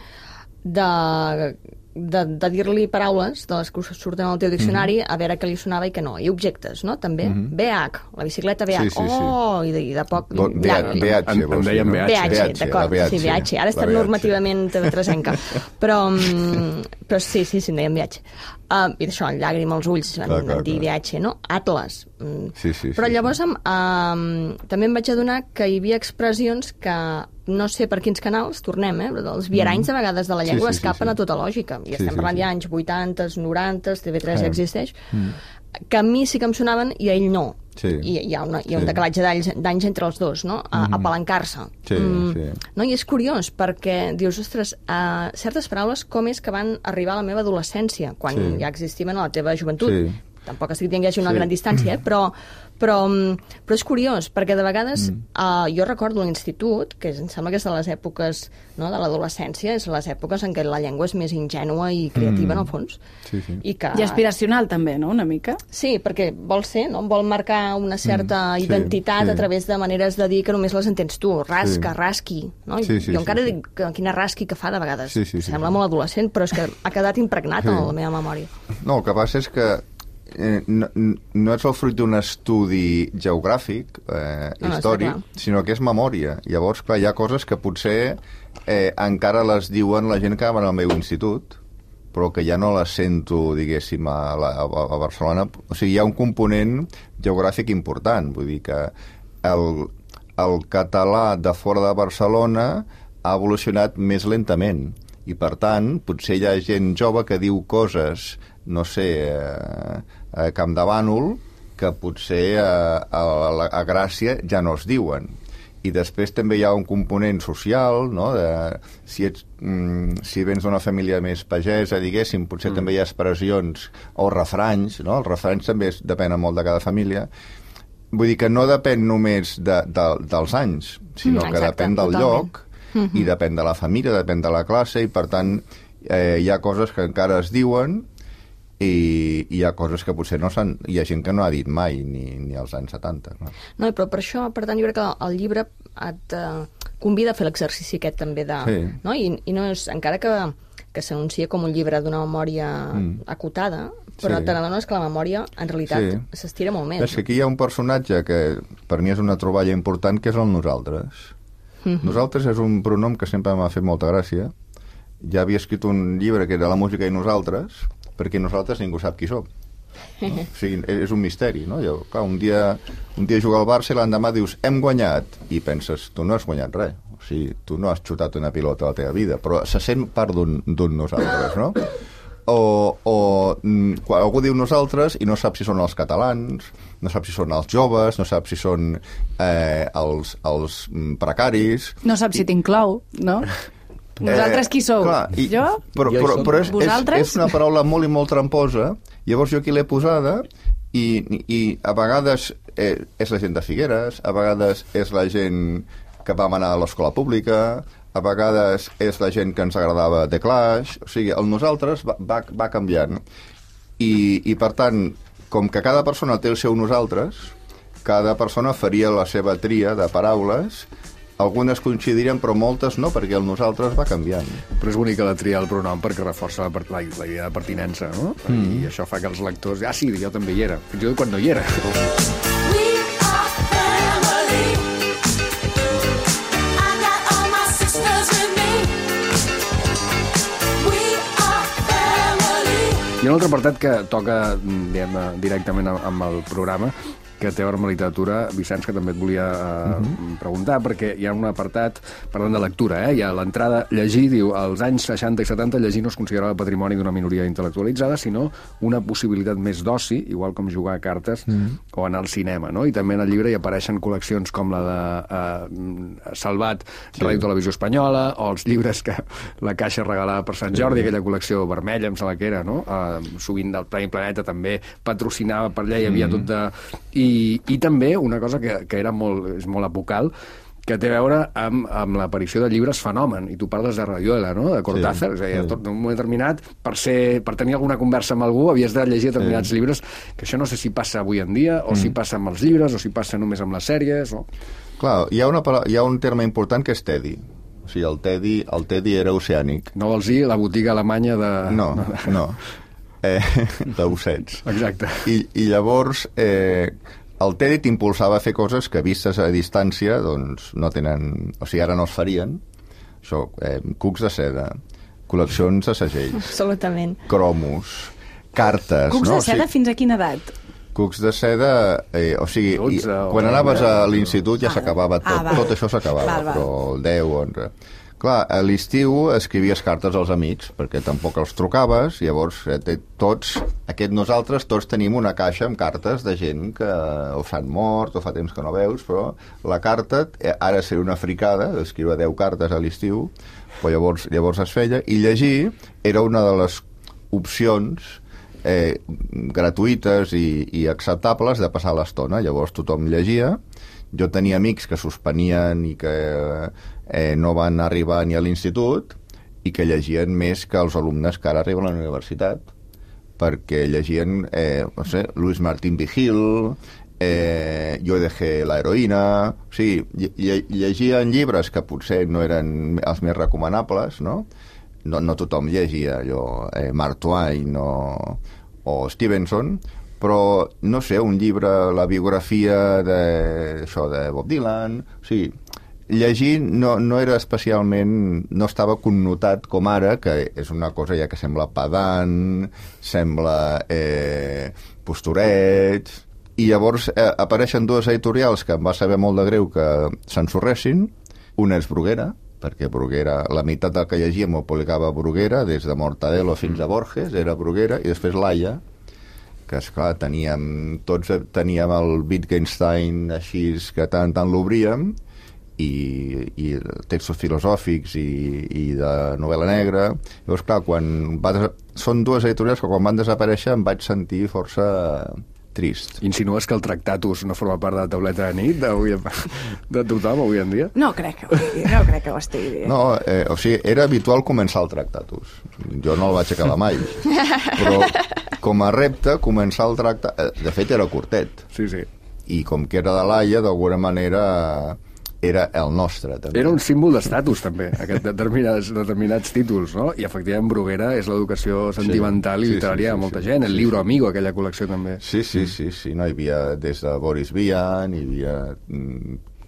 de, de, de dir-li paraules de les que surten al teu diccionari, mm-hmm. a veure què li sonava i què no. I objectes, no? També. Mm-hmm. B H, la bicicleta B H. Sí, sí, sí. Oh, i de, i de poc... Bo, B H, B H, en, en deien B H. B H, d'acord, sí, B H. Ara està normativament T V tres-enca. Però, però sí, sí, sí, en deien B H. Uh, I d'això, llàgrima als ulls, van, clar, clar, van dir B H, no? Atlas. Sí, sí, però sí, llavors sí. Um, també em vaig adonar que hi havia expressions que no sé per quins canals, tornem, eh? Els viaranys de vegades de la llengua sí, sí, escapen sí, sí. a tota lògica. I sí, estem parlant sí, sí. ja anys vuitanta, noranta, T V tres ja existeix, mm. que a mi sí que em sonaven i a ell no. Sí. I hi ha, una, hi ha un sí. decalatge d'anys entre els dos, no? A, mm. apalancar-se. Sí, mm. sí. No? I és curiós, perquè dius, ostres, uh, certes paraules com és que van arribar a la meva adolescència, quan sí. ja existiven a la teva joventut. Sí. Tampoc estic dient que hi hagi una sí. gran distància, eh? però, però, però és curiós, perquè de vegades mm. uh, jo recordo l'institut, que em sembla que és de les èpoques no, de l'adolescència, és les èpoques en què la llengua és més ingènua i creativa, mm. en el fons. Sí, sí. I, que... I aspiracional també, no?, una mica. Sí, perquè vol ser, no? Vol marcar una certa mm. sí, identitat sí. a través de maneres de dir que només les entens tu. Rasca, sí. rasqui. No? Sí, sí, jo encara sí, dic que quina rasqui que fa de vegades. Sí, sí, sí, Sembla sí. molt adolescent, però és que ha quedat impregnat sí. en la meva memòria. No, el que passa és que Eh, no, no és el fruit d'un estudi geogràfic, eh, no, històric, no, sinó que és memòria. Llavors, clar, hi ha coses que potser eh, encara les diuen la gent que va al meu institut, però que ja no les sento, diguéssim, a, la, a, a Barcelona. O sigui, hi ha un component geogràfic important. Vull dir que el, el català de fora de Barcelona ha evolucionat més lentament. I, per tant, potser hi ha gent jove que diu coses, no sé, eh, a Campdevànol, que potser a, a, a Gràcia ja no es diuen. I després també hi ha un component social, no? De, si, ets, mm, si vens d'una família més pagesa, diguéssim, potser mm. també hi ha expressions o refranys, no? Els refranys també es, depenen molt de cada família. Vull dir que no depèn només de, de, dels anys, sinó mm, exacte, que depèn del totalment. Lloc, mm-hmm. i depèn de la família, depèn de la classe, i per tant eh, hi ha coses que encara es diuen i hi ha coses que potser no s'han... Hi ha gent que no ha dit mai, ni, ni als anys setanta. No? no, però per això, per tant, jo crec que el llibre et uh, convida a fer l'exercici aquest també de... Sí. No? I, I no és... Encara que, que s'anuncia com un llibre d'una memòria mm. acotada, però sí. te n'adones que la memòria, en realitat, s'estira sí. molt més. És que aquí hi ha un personatge que per mi és una troballa important, que és el nosaltres. Mm-hmm. Nosaltres és un pronom que sempre m'ha fet molta gràcia. Ja havia escrit un llibre que era La música i nosaltres, perquè nosaltres ningú sap qui som. No? O sigui, és un misteri, no? Jo, clar, un dia, un dia juga al Barça i l'endemà dius, hem guanyat, i penses, tu no has guanyat res. O sigui, tu no has xutat una pilota a la teva vida, però se sent part d'un nosaltres, no? O, o quan algú diu nosaltres i no sap si són els catalans, no sap si són els joves, no sap si són eh, els, els precaris... No sap si t'inclou, no? Vosaltres qui sou? Eh, clar, i, jo? Però, però, però és, és, és una paraula molt i molt tramposa. Llavors jo aquí l'he posada i, i a vegades eh, és la gent de Figueres, a vegades és la gent que vam anar a l'escola pública, a vegades és la gent que ens agradava The Clash. O sigui, el nosaltres va, va, va canviant. I, I per tant, com que cada persona té el seu nosaltres, cada persona faria la seva tria de paraules. Algunes coincidirien, però moltes no, perquè el nosaltres va canviant. Però és bonica la tria del pronom perquè reforça la, la, la idea de pertinença, no? Mm. I això fa que els lectors... Ah, sí, jo també hi era. Fins i tot quan no hi era. We are family. I got all my sisters with me. We are family. Hi ha un altre apartat que toca, diguem, directament amb el programa, que té a veure amb la literatura, Vicenç, que també et volia uh, uh-huh. preguntar, perquè hi ha un apartat, parlant de lectura, eh? Hi ha l'entrada, llegir, diu, als anys seixanta i setanta llegir no es considerava patrimoni d'una minoria intel·lectualitzada, sinó una possibilitat més d'oci, igual com jugar a cartes uh-huh. o anar al cinema, no? I també en el llibre hi apareixen col·leccions com la de uh, Salvat, sí. Ràdio Televisió Espanyola, o els llibres que la Caixa regalava per Sant Jordi, sí. aquella col·lecció vermella, em sembla que era, no? Uh, sovint del Premi Planeta també patrocinava per allà, hi havia mm. tot de... I, i també una cosa que, que era molt, és molt apocal, que té a veure amb, amb l'aparició de llibres fenomen, i tu parles de Rayuela, no? De Cortázar, sí, és a dir, sí. tot en un moment determinat, per, ser, per tenir alguna conversa amb algú, havies de llegir determinats sí. llibres, que això no sé si passa avui en dia, o mm. si passa amb els llibres, o si passa només amb les sèries, o... Clar, hi ha, una, hi ha un terme important que és tedi. O sigui, el tedi, el tedi era oceànic. No vols dir la botiga alemanya de... No, no. Eh, d'ossets. Exacte. I, i llavors... Eh, el tedi t'impulsava a fer coses que, vistes a distància, doncs no tenen... O sigui, ara no es farien. Això, eh, cucs de seda, col·leccions de segells. Absolutament. Cromos, cartes... Cucs no? de seda, o sigui, fins a quina edat? Cucs de seda... Eh, o sigui, dotze, i, quan anaves a l'institut ja ah, s'acabava tot. Ah, tot això s'acabava, val, val. Però el deu, onze... Clar, a l'estiu escrivies cartes als amics, perquè tampoc els trucaves, llavors eh, tots, aquest nosaltres, tots tenim una caixa amb cartes de gent que o s'han mort o fa temps que no veus, però la carta, eh, ara seria una fricada, escriure deu cartes a l'estiu, però llavors, llavors es feia, i llegir era una de les opcions eh, gratuïtes i, i acceptables de passar l'estona. Llavors tothom llegia, jo tenia amics que suspenien i que... Eh, no van arribar ni a l'institut i que llegien més que els alumnes que ara arriben a la universitat, perquè llegien, eh, no sé, Luis Martín Vigil, eh, Yo dejé la heroïna... O sigui, lle llegien llibres que potser no eren els més recomanables, no? No, no tothom llegia allò, eh, Mark Twain o, o Stevenson, però, no sé, un llibre, la biografia de, això, de Bob Dylan... O sigui, llegir no, no era especialment... no estava connotat com ara, que és una cosa ja que sembla pedant, sembla eh, postureig... I llavors eh, apareixen dues editorials que em va saber molt de greu que s'ensorressin. Una és Bruguera, perquè Bruguera, la meitat del que llegíem ho publicava Bruguera, des de Mortadelo fins a Borges, era Bruguera, i després Laia, que esclar, teníem, tots teníem el Wittgenstein així que tant tant l'obríem, i, i textos filosòfics i, i de novel·la negra. Llavors, clar, quan va des... són dues editorials que quan van desaparèixer em vaig sentir força trist. Insinues que el Tractatus no forma part de la tauleta de nit d'avui, de tothom avui en dia? No crec que ho, no crec que ho estigui dient. No, eh, o sigui, era habitual començar el Tractatus. Jo no el vaig acabar mai. Però com a repte, començar el Tractatus... De fet, era curtet. Sí, sí. I com que era de l'Aia, d'alguna manera... era el nostre, també. Era un símbol d'estatus, també, aquest determinats, determinats títols, no? I, efectivament, Bruguera és l'educació sentimental sí, i literària sí, sí, de molta sí, gent. El sí, Libro sí. Amigo, aquella col·lecció, també. Sí, sí, sí, sí. No, hi havia des de Boris Vian, hi havia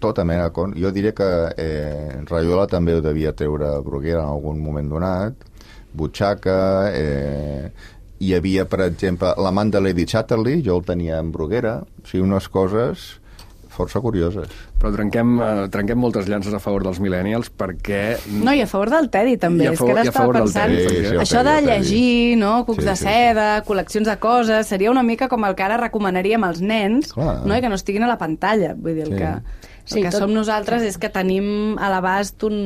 tota mena... Con... Jo diria que eh, Rayuela també ho devia treure Bruguera en algun moment donat, Butxaca... Eh, hi havia, per exemple, l'amant de Lady Chatterley, jo el tenia en Bruguera, o sigui, unes coses... força curioses. Però trenquem, eh, trenquem moltes llances a favor dels millennials perquè... No, i a favor del Teddy, també. És que ara estava pensant... Teddy, sí, sí, això teddy, de llegir, no? Cucs sí, de seda, sí, sí. col·leccions de coses, seria una mica com el que ara recomanaríem als nens, clar, no? I que no estiguin a la pantalla. Vull dir, el sí. que, el sí, que tot... som nosaltres és que tenim a l'abast un...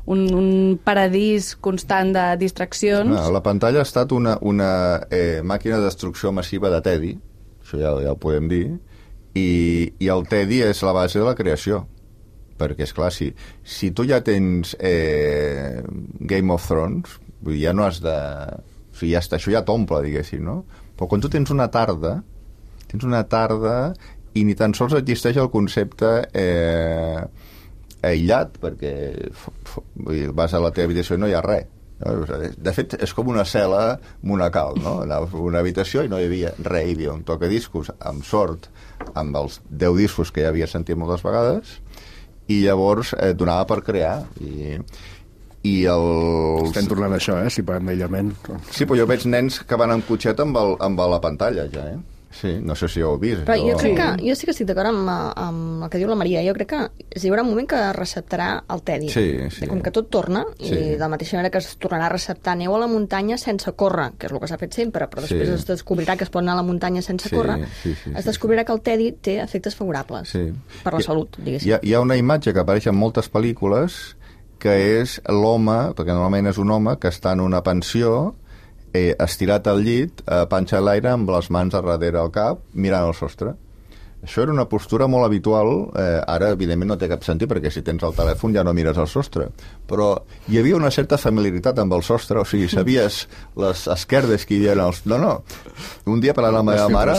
Un, un paradís constant de distraccions. No, la pantalla ha estat una, una eh, màquina de destrucció massiva de Teddy, això ja, ja ho podem dir, i, i el Teddy és la base de la creació, perquè, esclar, si, si tu ja tens eh, Game of Thrones, vull dir, ja no has de... O sigui, ja està, això ja t'omple, diguéssim, no? Però quan tu tens una tarda, tens una tarda i ni tan sols existeix el concepte... Eh, aïllat, perquè vas a la teva habitació i no hi ha res. De fet, és com una cel·la monacal, no? Anaves a una habitació i no hi havia res, hi havia un tocadiscos, amb sort, amb els deu discos que ja havia sentit moltes vegades, i llavors eh, donava per crear. I, i els... Estem tornant a això, eh? Si parlem d'aïllament. Sí, però jo veig nens que van amb cotxet amb, el, amb la pantalla, ja, eh? Sí, no sé si ho heu vist. Però jo o- crec que, jo sí que estic d'acord amb, amb el que diu la Maria. Jo crec que hi haurà un moment que receptarà el Teddy. Sí, sí. Com que tot torna, Sí. i de la mateixa manera que es tornarà a receptar neu a la muntanya sense córrer, que és el que s'ha fet sempre, però després Sí. es descobrirà que es pot anar a la muntanya sense Sí, córrer, sí, sí, es sí, descobrirà que el Teddy té efectes favorables Sí. per la Hi- salut, diguéssim. Hi ha, hi ha una imatge que apareix en moltes pel·lícules que és l'home, perquè normalment és un home que està en una pensió eh, estirat al llit, a panxa a l'aire, amb les mans a darrere al cap, mirant el sostre. Això era una postura molt habitual, eh, ara evidentment no té cap sentit perquè si tens el telèfon ja no mires el sostre, però hi havia una certa familiaritat amb el sostre, o sigui, sabies les esquerdes que hi havia els... No, no, un dia parlant amb la meva mare,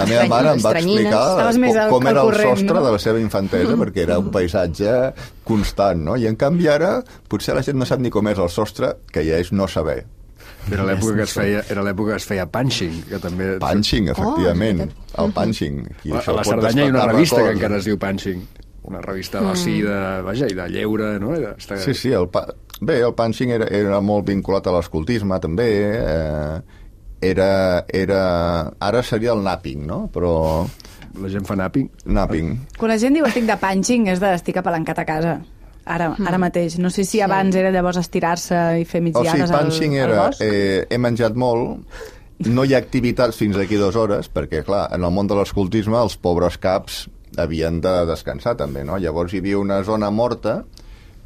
la meva mare em va Estranyines. explicar Estaves més com, al- com al era el corrent, sostre no? de la seva infantesa, perquè era un paisatge constant, no? I en canvi ara potser la gent no sap ni com és el sostre, que ja és no saber. Era l'època que es feia, era l'època que es feia punching, que també... Punching, efectivament, Oh, el punching. I A, això a la pot Cerdanya hi ha una despertar revista que records. encara es diu Punching. Una revista d'oci, de, vaja, i de lleure, no? I de, està... Sí, sí, el pa... bé, el punching era, era molt vinculat a l'escoltisme, també. Eh, era, era... Ara seria el napping, no? Però... La gent fa napping. Napping. Quan la gent diu estic de punching és de estic apalancat a casa. Ara, ara mateix. No sé si Sí. abans era llavors estirar-se i fer O migdiades sigui, punching al, al era... bosc. Eh, he menjat molt, no hi ha activitats fins aquí dues hores, perquè, clar, en el món de l'escoltisme els pobres caps havien de descansar, també, no? Llavors hi havia una zona morta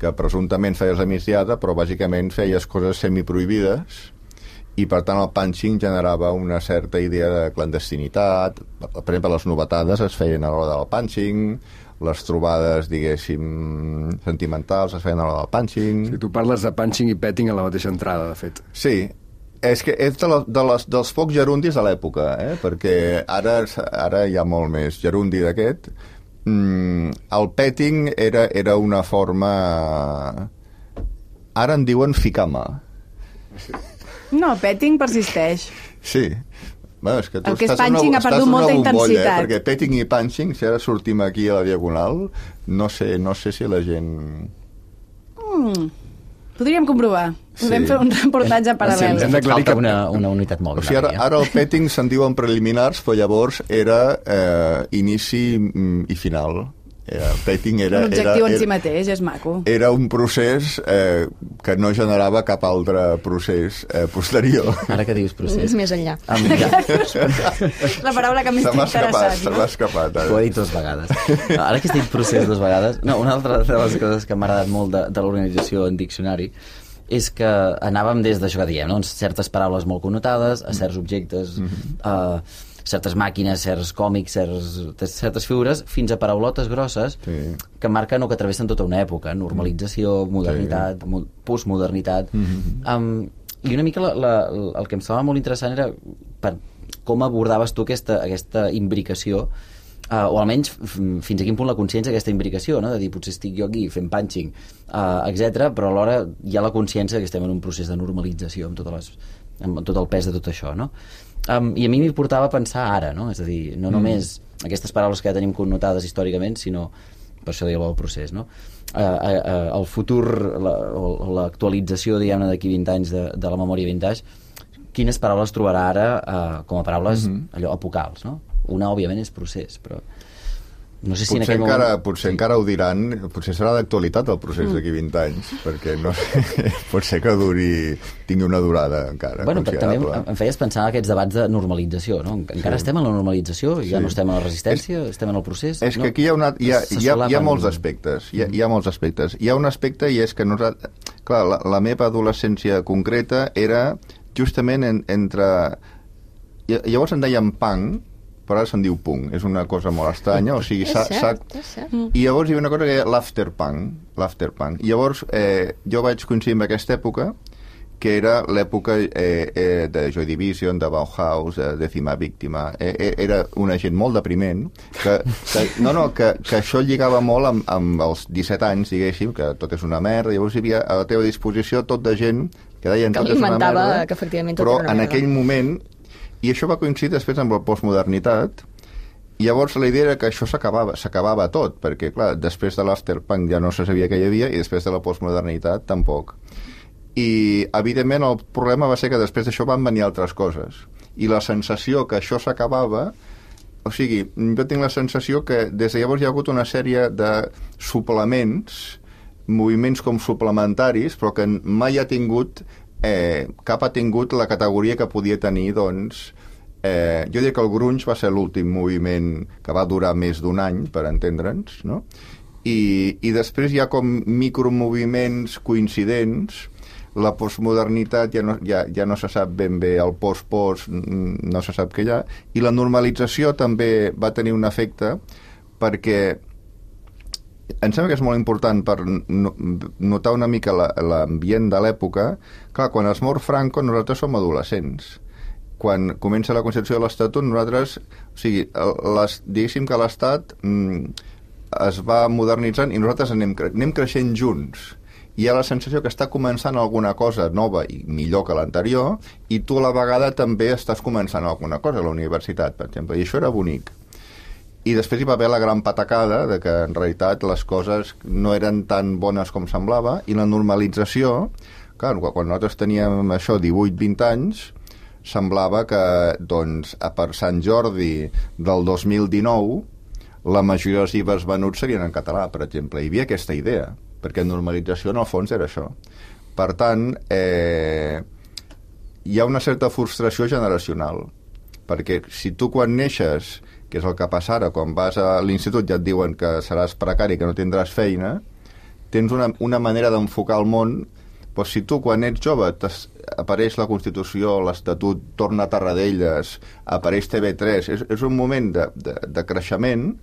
que presumptament feies la migdiada, però bàsicament feies coses semiprohibides i, per tant, el punching generava una certa idea de clandestinitat. Per exemple, les novetades es feien a l'hora del punching, les trobades, diguéssim, sentimentals es feien a l'hora del punching... Si tu parles de punching i petting a la mateixa entrada, de fet. Sí, és que és de la, de les, dels pocs gerundis de l'època, eh? Perquè ara, ara hi ha molt més gerundi d'aquest. Mm, el petting era, era una forma... Ara en diuen ficar mà. No, petting persisteix. Sí. Bueno, és que tu El que és estàs en punching una, ha perdut estàs en una molta bombolla, intensitat. Eh? Perquè petting i punching, si ara sortim aquí a la Diagonal, no sé, no sé si la gent... Mm. Podríem comprovar. Podem Sí. fer un reportatge Sí, paral·lel. ens hem d'aclarir Falta que- una, una unitat O mòbil. sigui, ara, ara el petting se'n diuen preliminars, però llavors era eh, inici mm, i final. Era, el petting era, Un objectiu era, en si era, mateix, és maco. era un procés eh, que no generava cap altre procés eh, posterior. Ara que dius procés... És més enllà. Amb, ja, La paraula que més Se t'ha m'ha escapat, interessat, se m'ha no? escapat. ho he Ara. dit dues vegades. Ara que estic procés dues vegades... No, una altra de les coses que m'ha agradat molt de, de l'organització en diccionari és que anàvem des d'això que diem, no? Certes paraules molt connotades, a certs objectes, Mm-hmm. a certes màquines, certs còmics, certs, certes figures, fins a paraulotes grosses Sí. que marquen o que travessen tota una època. Normalització, modernitat, mo- postmodernitat... Mm-hmm. Um, I una mica la, la, el que em semblava molt interessant era per com abordaves tu aquesta, aquesta imbricació, uh, o almenys f- fins a quin punt la consciència d'aquesta imbricació, no? De dir, potser estic jo aquí fent punching, uh, etcètera, però alhora hi ha la consciència que estem en un procés de normalització amb, totes les, amb tot el pes de tot això, no? Um, I a mi m'hi portava a pensar ara, no? És a dir, no mm. només aquestes paraules que ja tenim connotades històricament, sinó, per això deia el procés, no? Uh, uh, uh, el futur, la, o l'actualització, diguem-ne, d'aquí vint anys de, de la memòria vintage, quines paraules trobarà ara uh, com a paraules mm -hmm. allò apocals, no? Una, òbviament, és procés, però no sé si en Potser, aquell encara, moment... potser encara ho diran, potser serà d'actualitat el procés d'aquí vint anys, perquè no sé, pot ser que duri, tingui una durada encara Bueno, però també considerable. em, em feies pensar en aquests debats de normalització, no? Encara Sí. estem en la normalització, ja Sí. no estem en la resistència, és, estem en el procés... És no? que aquí hi ha, una, hi ha, Se hi ha, hi ha solapen. molts aspectes. Hi ha, hi ha molts aspectes. Hi ha un aspecte i és que nosaltres... Clar, la, la meva adolescència concreta era justament en, entre... I- Llavors en deien punk, però ara se'n diu punk. És una cosa molt estranya. O sigui, És s'ha- cert, s'ha- és cert. I llavors hi havia una cosa que deia l'afterpunk. L'afterpunk. I llavors eh, jo vaig coincidir amb aquesta època, que era l'època eh, eh, de Joy Division, de Bauhaus, de Décima Víctima. Eh, eh, era una gent molt depriment, que, que, no, no, que, que això lligava molt amb, amb els disset anys, diguéssim, que tot és una merda. Llavors hi havia a la teva disposició tot de gent que deien Que tot és una alimentava merda, que efectivament tot però era una en merda. aquell moment, i això va coincidir després amb la postmodernitat, i llavors la idea era que això s'acabava, s'acabava tot, perquè, clar, després de l'afterpunk ja no se sabia què hi havia i després de la postmodernitat tampoc. I, evidentment, el problema va ser que després d'això van venir altres coses. i la sensació que això s'acabava, o sigui, jo tinc la sensació que des de llavors hi ha hagut una sèrie de suplements, moviments com suplementaris, però que mai ha tingut, eh, cap ha tingut la categoria que podia tenir, doncs, eh, jo diria que el grunge va ser l'últim moviment que va durar més d'un any, per entendre'ns, no? I, i després hi ha com micromoviments coincidents. La postmodernitat ja no, ja, ja no se sap ben bé, el post-post no se sap què hi ha, i la normalització també va tenir un efecte, perquè em sembla que és molt important per notar una mica l'ambient de l'època. Clar, quan es mor Franco nosaltres som adolescents. Quan comença la Constitució de l'Estatut, nosaltres, o sigui, les, diguéssim que l'Estat mm, es va modernitzant i nosaltres anem, anem creixent junts. Hi ha la sensació que està començant alguna cosa nova i millor que l'anterior, i tu a la vegada també estàs començant alguna cosa a la universitat, per exemple, i això era bonic. I després hi va haver la gran patacada de que en realitat les coses no eren tan bones com semblava, i la normalització, clar, quan nosaltres teníem això, divuit vint anys, semblava que, doncs, a per Sant Jordi del dos mil dinou, la majoria dels llibres venuts serien en català, per exemple. Hi havia aquesta idea, perquè normalització en el fons era això. Per tant, eh, hi ha una certa frustració generacional, perquè si tu quan neixes, que és el que passa ara, quan vas a l'institut ja et diuen que seràs precari, que no tindràs feina, tens una, una manera d'enfocar el món, però si tu quan ets jove apareix la Constitució, l'Estatut torna a Tarradellas, apareix T V tres, és, és un moment de, de, de creixement.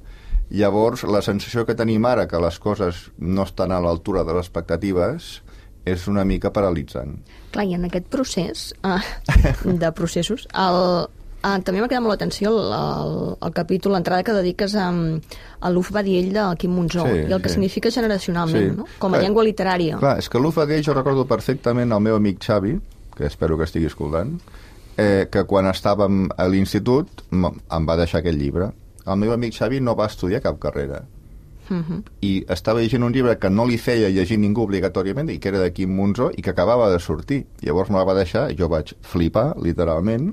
Llavors, la sensació que tenim ara, que les coses no estan a l'altura de les expectatives, és una mica paralitzant. Clar, i en aquest procés uh, de processos, el, uh, també m'ha quedat molt l'atenció el, el, el capítol, l'entrada que dediques a, a l'Uf Badiell de Quim Monzó, sí, i el que sí. significa generacionalment, sí. no? Com a clar, llengua literària. Clar, és que l'Uf Badiell jo recordo perfectament el meu amic Xavi, que espero que estigui escoltant, eh, que quan estàvem a l'institut em va deixar aquest llibre. El meu amic Xavi no va estudiar cap carrera. Uh-huh. I estava llegint un llibre que no li feia llegir ningú obligatòriament, i que era de Quim Monzó, i que acabava de sortir. Llavors me la va deixar, jo vaig flipar, literalment,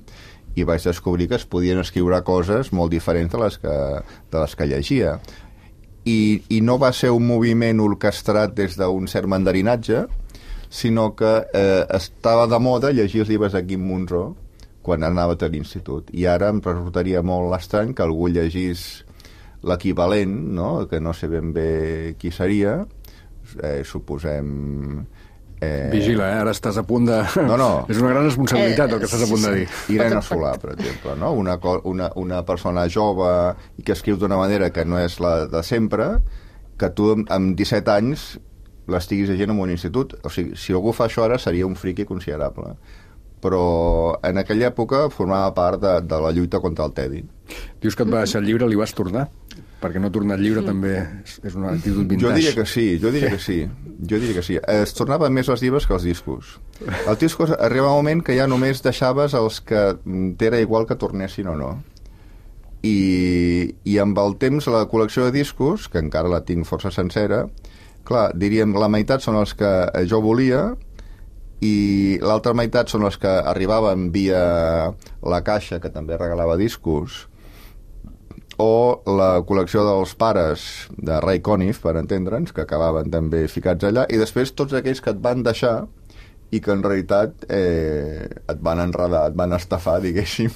i vaig descobrir que es podien escriure coses molt diferents de les que, de les que llegia. I, I no va ser un moviment orquestrat des d'un cert mandarinatge, sinó que eh, estava de moda llegir els llibres de Quim Monzó quan anava a l'institut. I ara em resultaria molt estrany que algú llegís l'equivalent, no? Que no sé ben bé qui seria, eh, suposem... Eh... Vigila, eh? Ara estàs a punt de... No, no. És una gran responsabilitat eh, el que estàs a punt de dir. Irene Solà, per exemple, no? Una, una, una persona jove i que escriu d'una manera que no és la de sempre, que tu amb disset anys l'estiguis llegint en un institut. O sigui, si algú fa això ara seria un friqui considerable. Però en aquella època formava part de, de la lluita contra el tedi. Dius que et va deixar el llibre, li vas tornar? Perquè no tornar el llibre mm. també és una actitud vintage. Jo diria que sí, jo diria que sí. Jo diria que sí. Es tornaven més els llibres que els discos. Els discos arriba un moment que ja només deixaves els que t'era igual que tornessin o no. I, i amb el temps la col·lecció de discos, que encara la tinc força sencera, clar, diríem la meitat són els que jo volia, i l'altra meitat són els que arribaven via la caixa, que també regalava discos, o la col·lecció dels pares de Ray Conniff, per entendre'ns, que acabaven també ficats allà, i després tots aquells que et van deixar i que en realitat eh, et van enredar, et van estafar, diguéssim,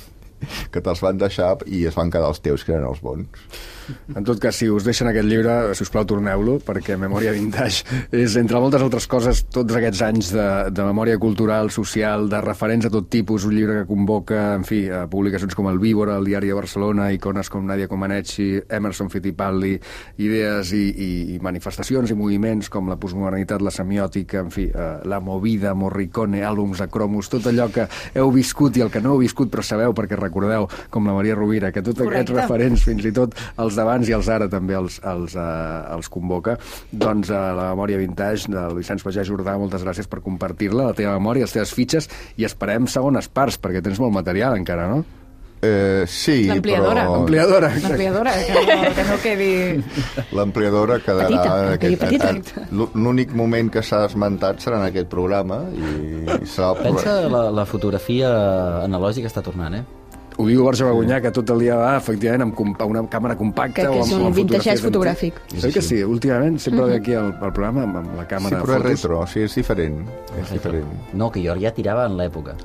que te'ls van deixar i es van quedar els teus, que eren els bons. En tot cas, si us deixen aquest llibre, si us plau, torneu-lo, perquè Memòria Vintage és, entre moltes altres coses, tots aquests anys de, de memòria cultural, social, de referents a tot tipus, un llibre que convoca, en fi, a publicacions com el Víbora, el Diari de Barcelona, icones com Nadia Comaneci, Emerson Fittipaldi, idees i, i, i manifestacions i moviments com la postmodernitat, la semiòtica, en fi, eh, la Movida, Morricone, àlbums de cromos, tot allò que heu viscut i el que no heu viscut però sabeu perquè recordeu, com la Maria Rovira, que tots aquests Correcte. referents, fins i tot els d'abans i els ara també els, els, uh, els convoca. Doncs a uh, la Memòria Vintage del Vicenç Pagès Jordà, moltes gràcies per compartir-la, la teva memòria, les teves fitxes, i esperem segones parts, perquè tens molt material encara, no? Eh, sí, L'ampliadora. però... Ampliadora. L'ampliadora, que, no, que no quedi... L'ampliadora quedarà... Petita, aquest, petita. aquest, l'únic moment que s'ha esmentat serà en aquest programa i serà el Pensa, programa. la, la fotografia analògica està tornant, eh? Ho diu Borja Bagunyà, que tot el dia va, efectivament, amb compa una càmera compacta Que- que o amb, és un o amb vintageig fotografies fotogràfic. antiques. Oi que sí? Últimament sempre ve aquí al, al programa amb, amb la Sí, càmera però és fotos. retro, sí, és diferent. És diferent. No, que jo ja tirava en l'època.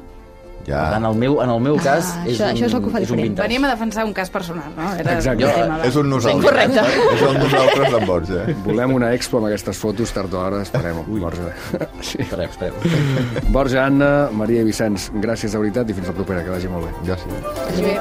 Ja. En el meu, en el meu cas, Ah, és, això- un, això és el que ho fa és un diferent. vintage. Venim a defensar un cas personal, no? Era Exacte. el tema, va. És un nosaltres. correcte. És un nosaltres d'en Borja. Volem una expo amb aquestes fotos, tard o d'hora, esperem-ho, Borja. Sí. Espereu, espereu. Borja, Anna, Maria i Vicenç, gràcies de veritat i fins la propera, que vagi molt bé. Gràcies. Vagi bé.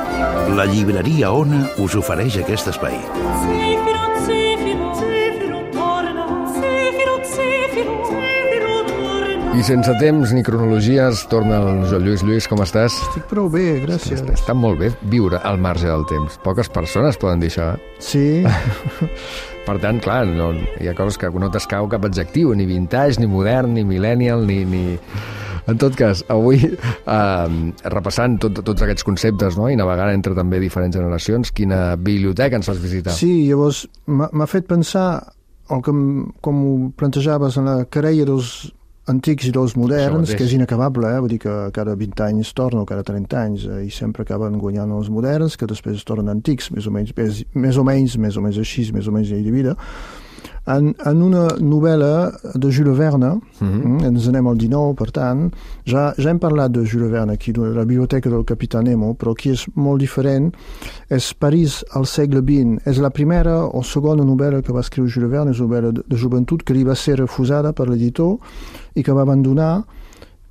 La llibreria Ona us ofereix aquest espai. Zefiro, zefiro, zefiro, torna. Zefiro, zefiro, zefiro, torna. I sense temps ni cronologies, torna el Joan Lluís. Lluís, com estàs? Estic prou bé, gràcies. Està molt bé viure al marge del temps. Poques persones poden dir això, eh? Sí, Per tant, clar, no, hi ha coses que no t'escau cap adjectiu, ni vintage, ni modern, ni millennial, ni... ni... En tot cas, avui, eh, repassant tot, tots aquests conceptes, no?, i navegant entre també diferents generacions, quina biblioteca ens fas visitar? sí, llavors m'ha m'ha fet pensar el que, m- com ho plantejaves en la querella dels antics i dels Això moderns, mateix. que és inacabable, eh? Vull dir que cada vint anys torna, o cada trenta anys, eh? I sempre acaben guanyant els moderns, que després es tornen antics, més o menys, més, més o menys, més o menys així, més o menys llei de vida. En, en una novel·la de Jules Verne, mm-hmm. ens anem al dinou, per tant, ja, ja hem parlat de Jules Verne aquí, de la biblioteca del Capità Nemo, però aquí és molt diferent. És París al segle vint. És la primera o segona novel·la que va escriure Jules Verne, és una novel·la de, de joventut que li va ser refusada per l'editor i que va abandonar,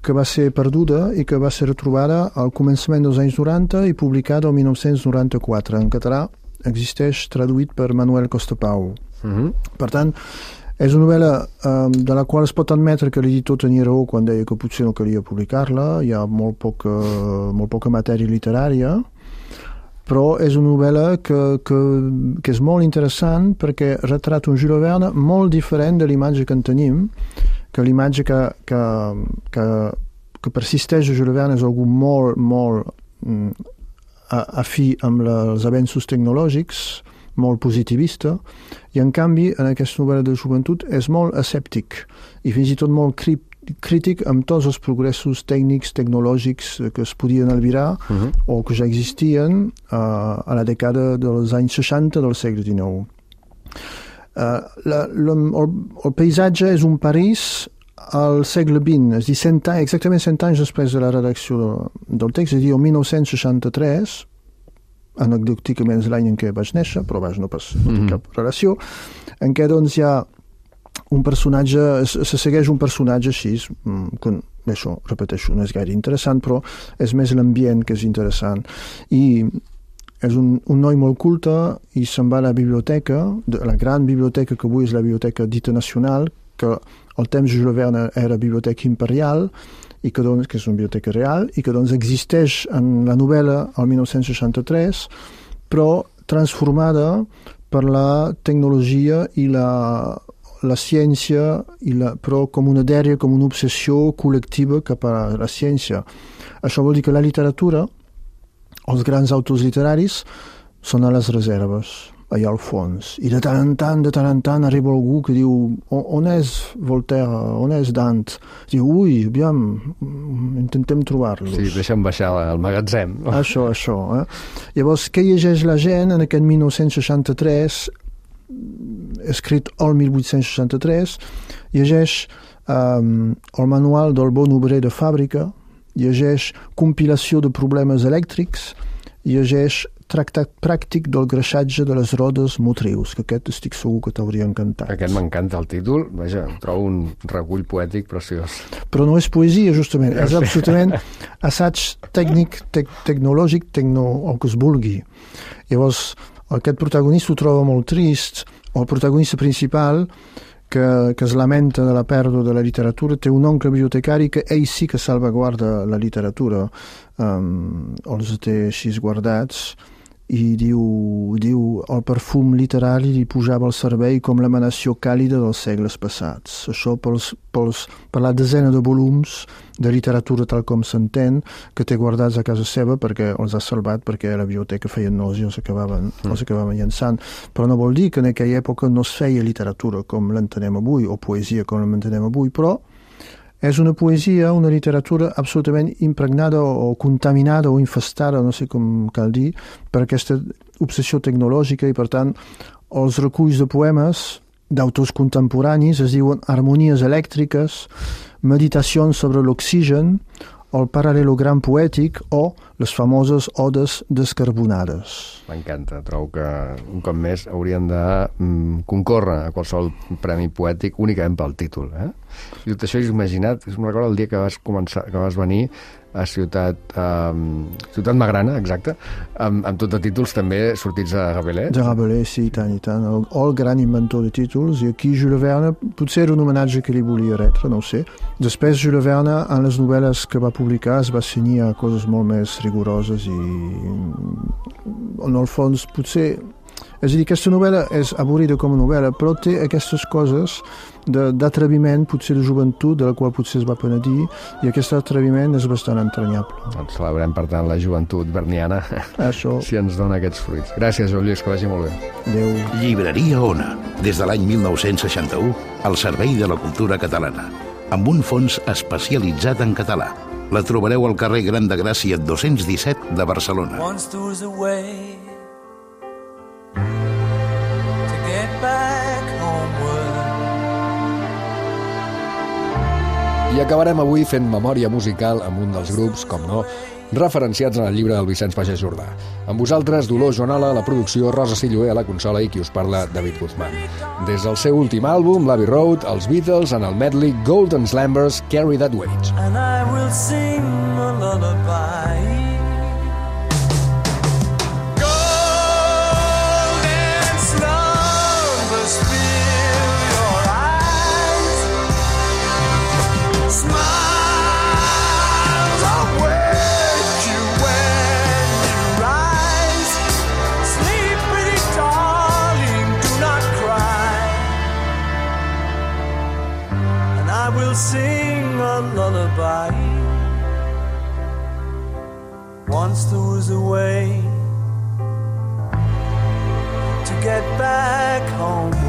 que va ser perduda i que va ser retrobada al començament dels anys noranta i publicada el dinou noranta-quatre. En català existeix traduït per Manuel Costapau. Mm-hmm. Per tant, és una novel·la eh, de la qual es pot admetre que l'editor tenia raó quan deia que potser no calia publicar-la, hi ha molt poca, molt poca matèria literària, però és una novel·la que, que, que és molt interessant perquè retrata un Jules Verne molt diferent de l'imatge que en tenim, que l'imatge que, que, que, que persisteix a Jules Verne és algú molt, molt mm, afí amb la, els avenços tecnològics, molt positivista, i en canvi en aquesta novel·la de joventut és molt escèptic i fins i tot molt cri crític amb tots els progressos tècnics, tecnològics que es podien albirar uh-huh. o que ja existien uh, a la dècada dels anys seixanta del segle dinou. Uh, la, la, el, el paisatge és un París al segle vint, és a dir, cent anys, exactament cent anys després de la redacció de, del text, és a dir, el dinou seixanta-tres, anecdòticament és l'any en què vaig néixer, però vaig no pas no té Mhm. cap relació, en què doncs hi ha un personatge, se, se segueix un personatge així, mm, que, això, repeteixo, no és gaire interessant, però és més l'ambient que és interessant. I és un, un noi molt culte i se'n va a la biblioteca, de, la gran biblioteca que avui és la Biblioteca Dita Nacional, que al temps de Jules Verne era Biblioteca Imperial, i que, doncs, que és una biblioteca real, i que doncs, existeix en la novel·la al dinou seixanta-tres, però transformada per la tecnologia i la, la ciència, i la, però com una dèria, com una obsessió col·lectiva cap a la ciència. Això vol dir que la literatura, els grans autors literaris, són a les reserves, allà al fons. I de tant en tant, de tant en tant, arriba algú que diu on, on és Voltaire, on és Dante? Diu, ui, aviam, intentem trobar-los. Sí, deixa'm baixar al magatzem. Això, això. Eh? Llavors, què llegeix la gent en aquest dinou seixanta-tres, escrit al divuit seixanta-tres, llegeix um, el manual del bon obrer de fàbrica, llegeix compilació de problemes elèctrics, llegeix tractat pràctic del greixatge de les rodes motrius, que aquest estic segur que t'hauria encantat. Aquest m'encanta el títol, vaja, trobo un recull poètic preciós. Però no és poesia, justament, és absolutament assaig tècnic, te tecnològic, tecno, el que es vulgui. Llavors, aquest protagonista ho troba molt trist, el protagonista principal, que, que es lamenta de la pèrdua de la literatura, té un oncle bibliotecari que ell sí que salvaguarda la literatura, um, els té així guardats, i diu, diu el perfum literari li pujava al cervell com l'emanació càlida dels segles passats. Això pels, pels, per la desena de volums de literatura tal com s'entén que té guardats a casa seva perquè els ha salvat, perquè a la biblioteca feien nosi i els acabaven, mm. els acabaven llançant. Però no vol dir que en aquella època no es feia literatura com l'entenem avui, o poesia com l'entenem avui, però és una poesia, una literatura absolutament impregnada o contaminada o infestada, no sé com cal dir, per aquesta obsessió tecnològica i, per tant, els reculls de poemes d'autors contemporanis es diuen harmonies elèctriques, meditacions sobre l'oxigen, el paral·lelogram poètic o les famoses odes descarbonades. M'encanta. Trobo que un cop més hauríem de mm, concórrer a qualsevol premi poètic únicament pel títol. Eh? I tot això és imaginat, me'n recordo el dia que vas, començar, que vas venir a Ciutat, um, Ciutat Magrana, exacte, amb, amb tot de títols també sortits de Rabelais. De Rabelais, sí, i tant, i tant. El, el gran inventor de títols, i aquí Jules Verne, potser era un homenatge que li volia retre, no ho sé. Després Jules Verne, en les novel·les que va publicar, es va cenyir a coses molt més rigoroses i, en el fons, potser... És a dir, aquesta novel·la és avorrida com a novel·la, però té aquestes coses d'atreviment, potser de joventut, de la qual potser es va penedir, i aquest atreviment és bastant entranyable. Doncs celebrem, per tant, la joventut verniana, Això. si ens dona aquests fruits. Gràcies, Joan Lluís, que vagi molt bé. Adéu. Llibreria Ona, des de l'any mil nou-cents seixanta-u, al servei de la cultura catalana, amb un fons especialitzat en català. La trobareu al carrer Gran de Gràcia dos-cents disset de Barcelona. Once there was a way to get back homeward. I acabarem avui fent memòria musical amb un dels grups, com no, referenciats en el llibre del Vicenç Pagès Jordà. Amb vosaltres, Dolors Joanola, a la producció, Rosa Silloé a la consola i qui us parla, David Guzmán. Des del seu últim àlbum, l'Abbey Road, els Beatles en el medley Golden Slumbers, Carry That Weight. And I will sing a lullaby. Sing a lullaby. Once there was a way to get back homeward.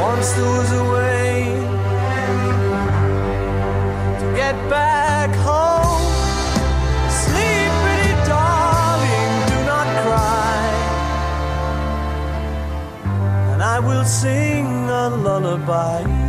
Once there was a way to get back home. Sleep, pretty darling, do not cry. I will sing a lullaby.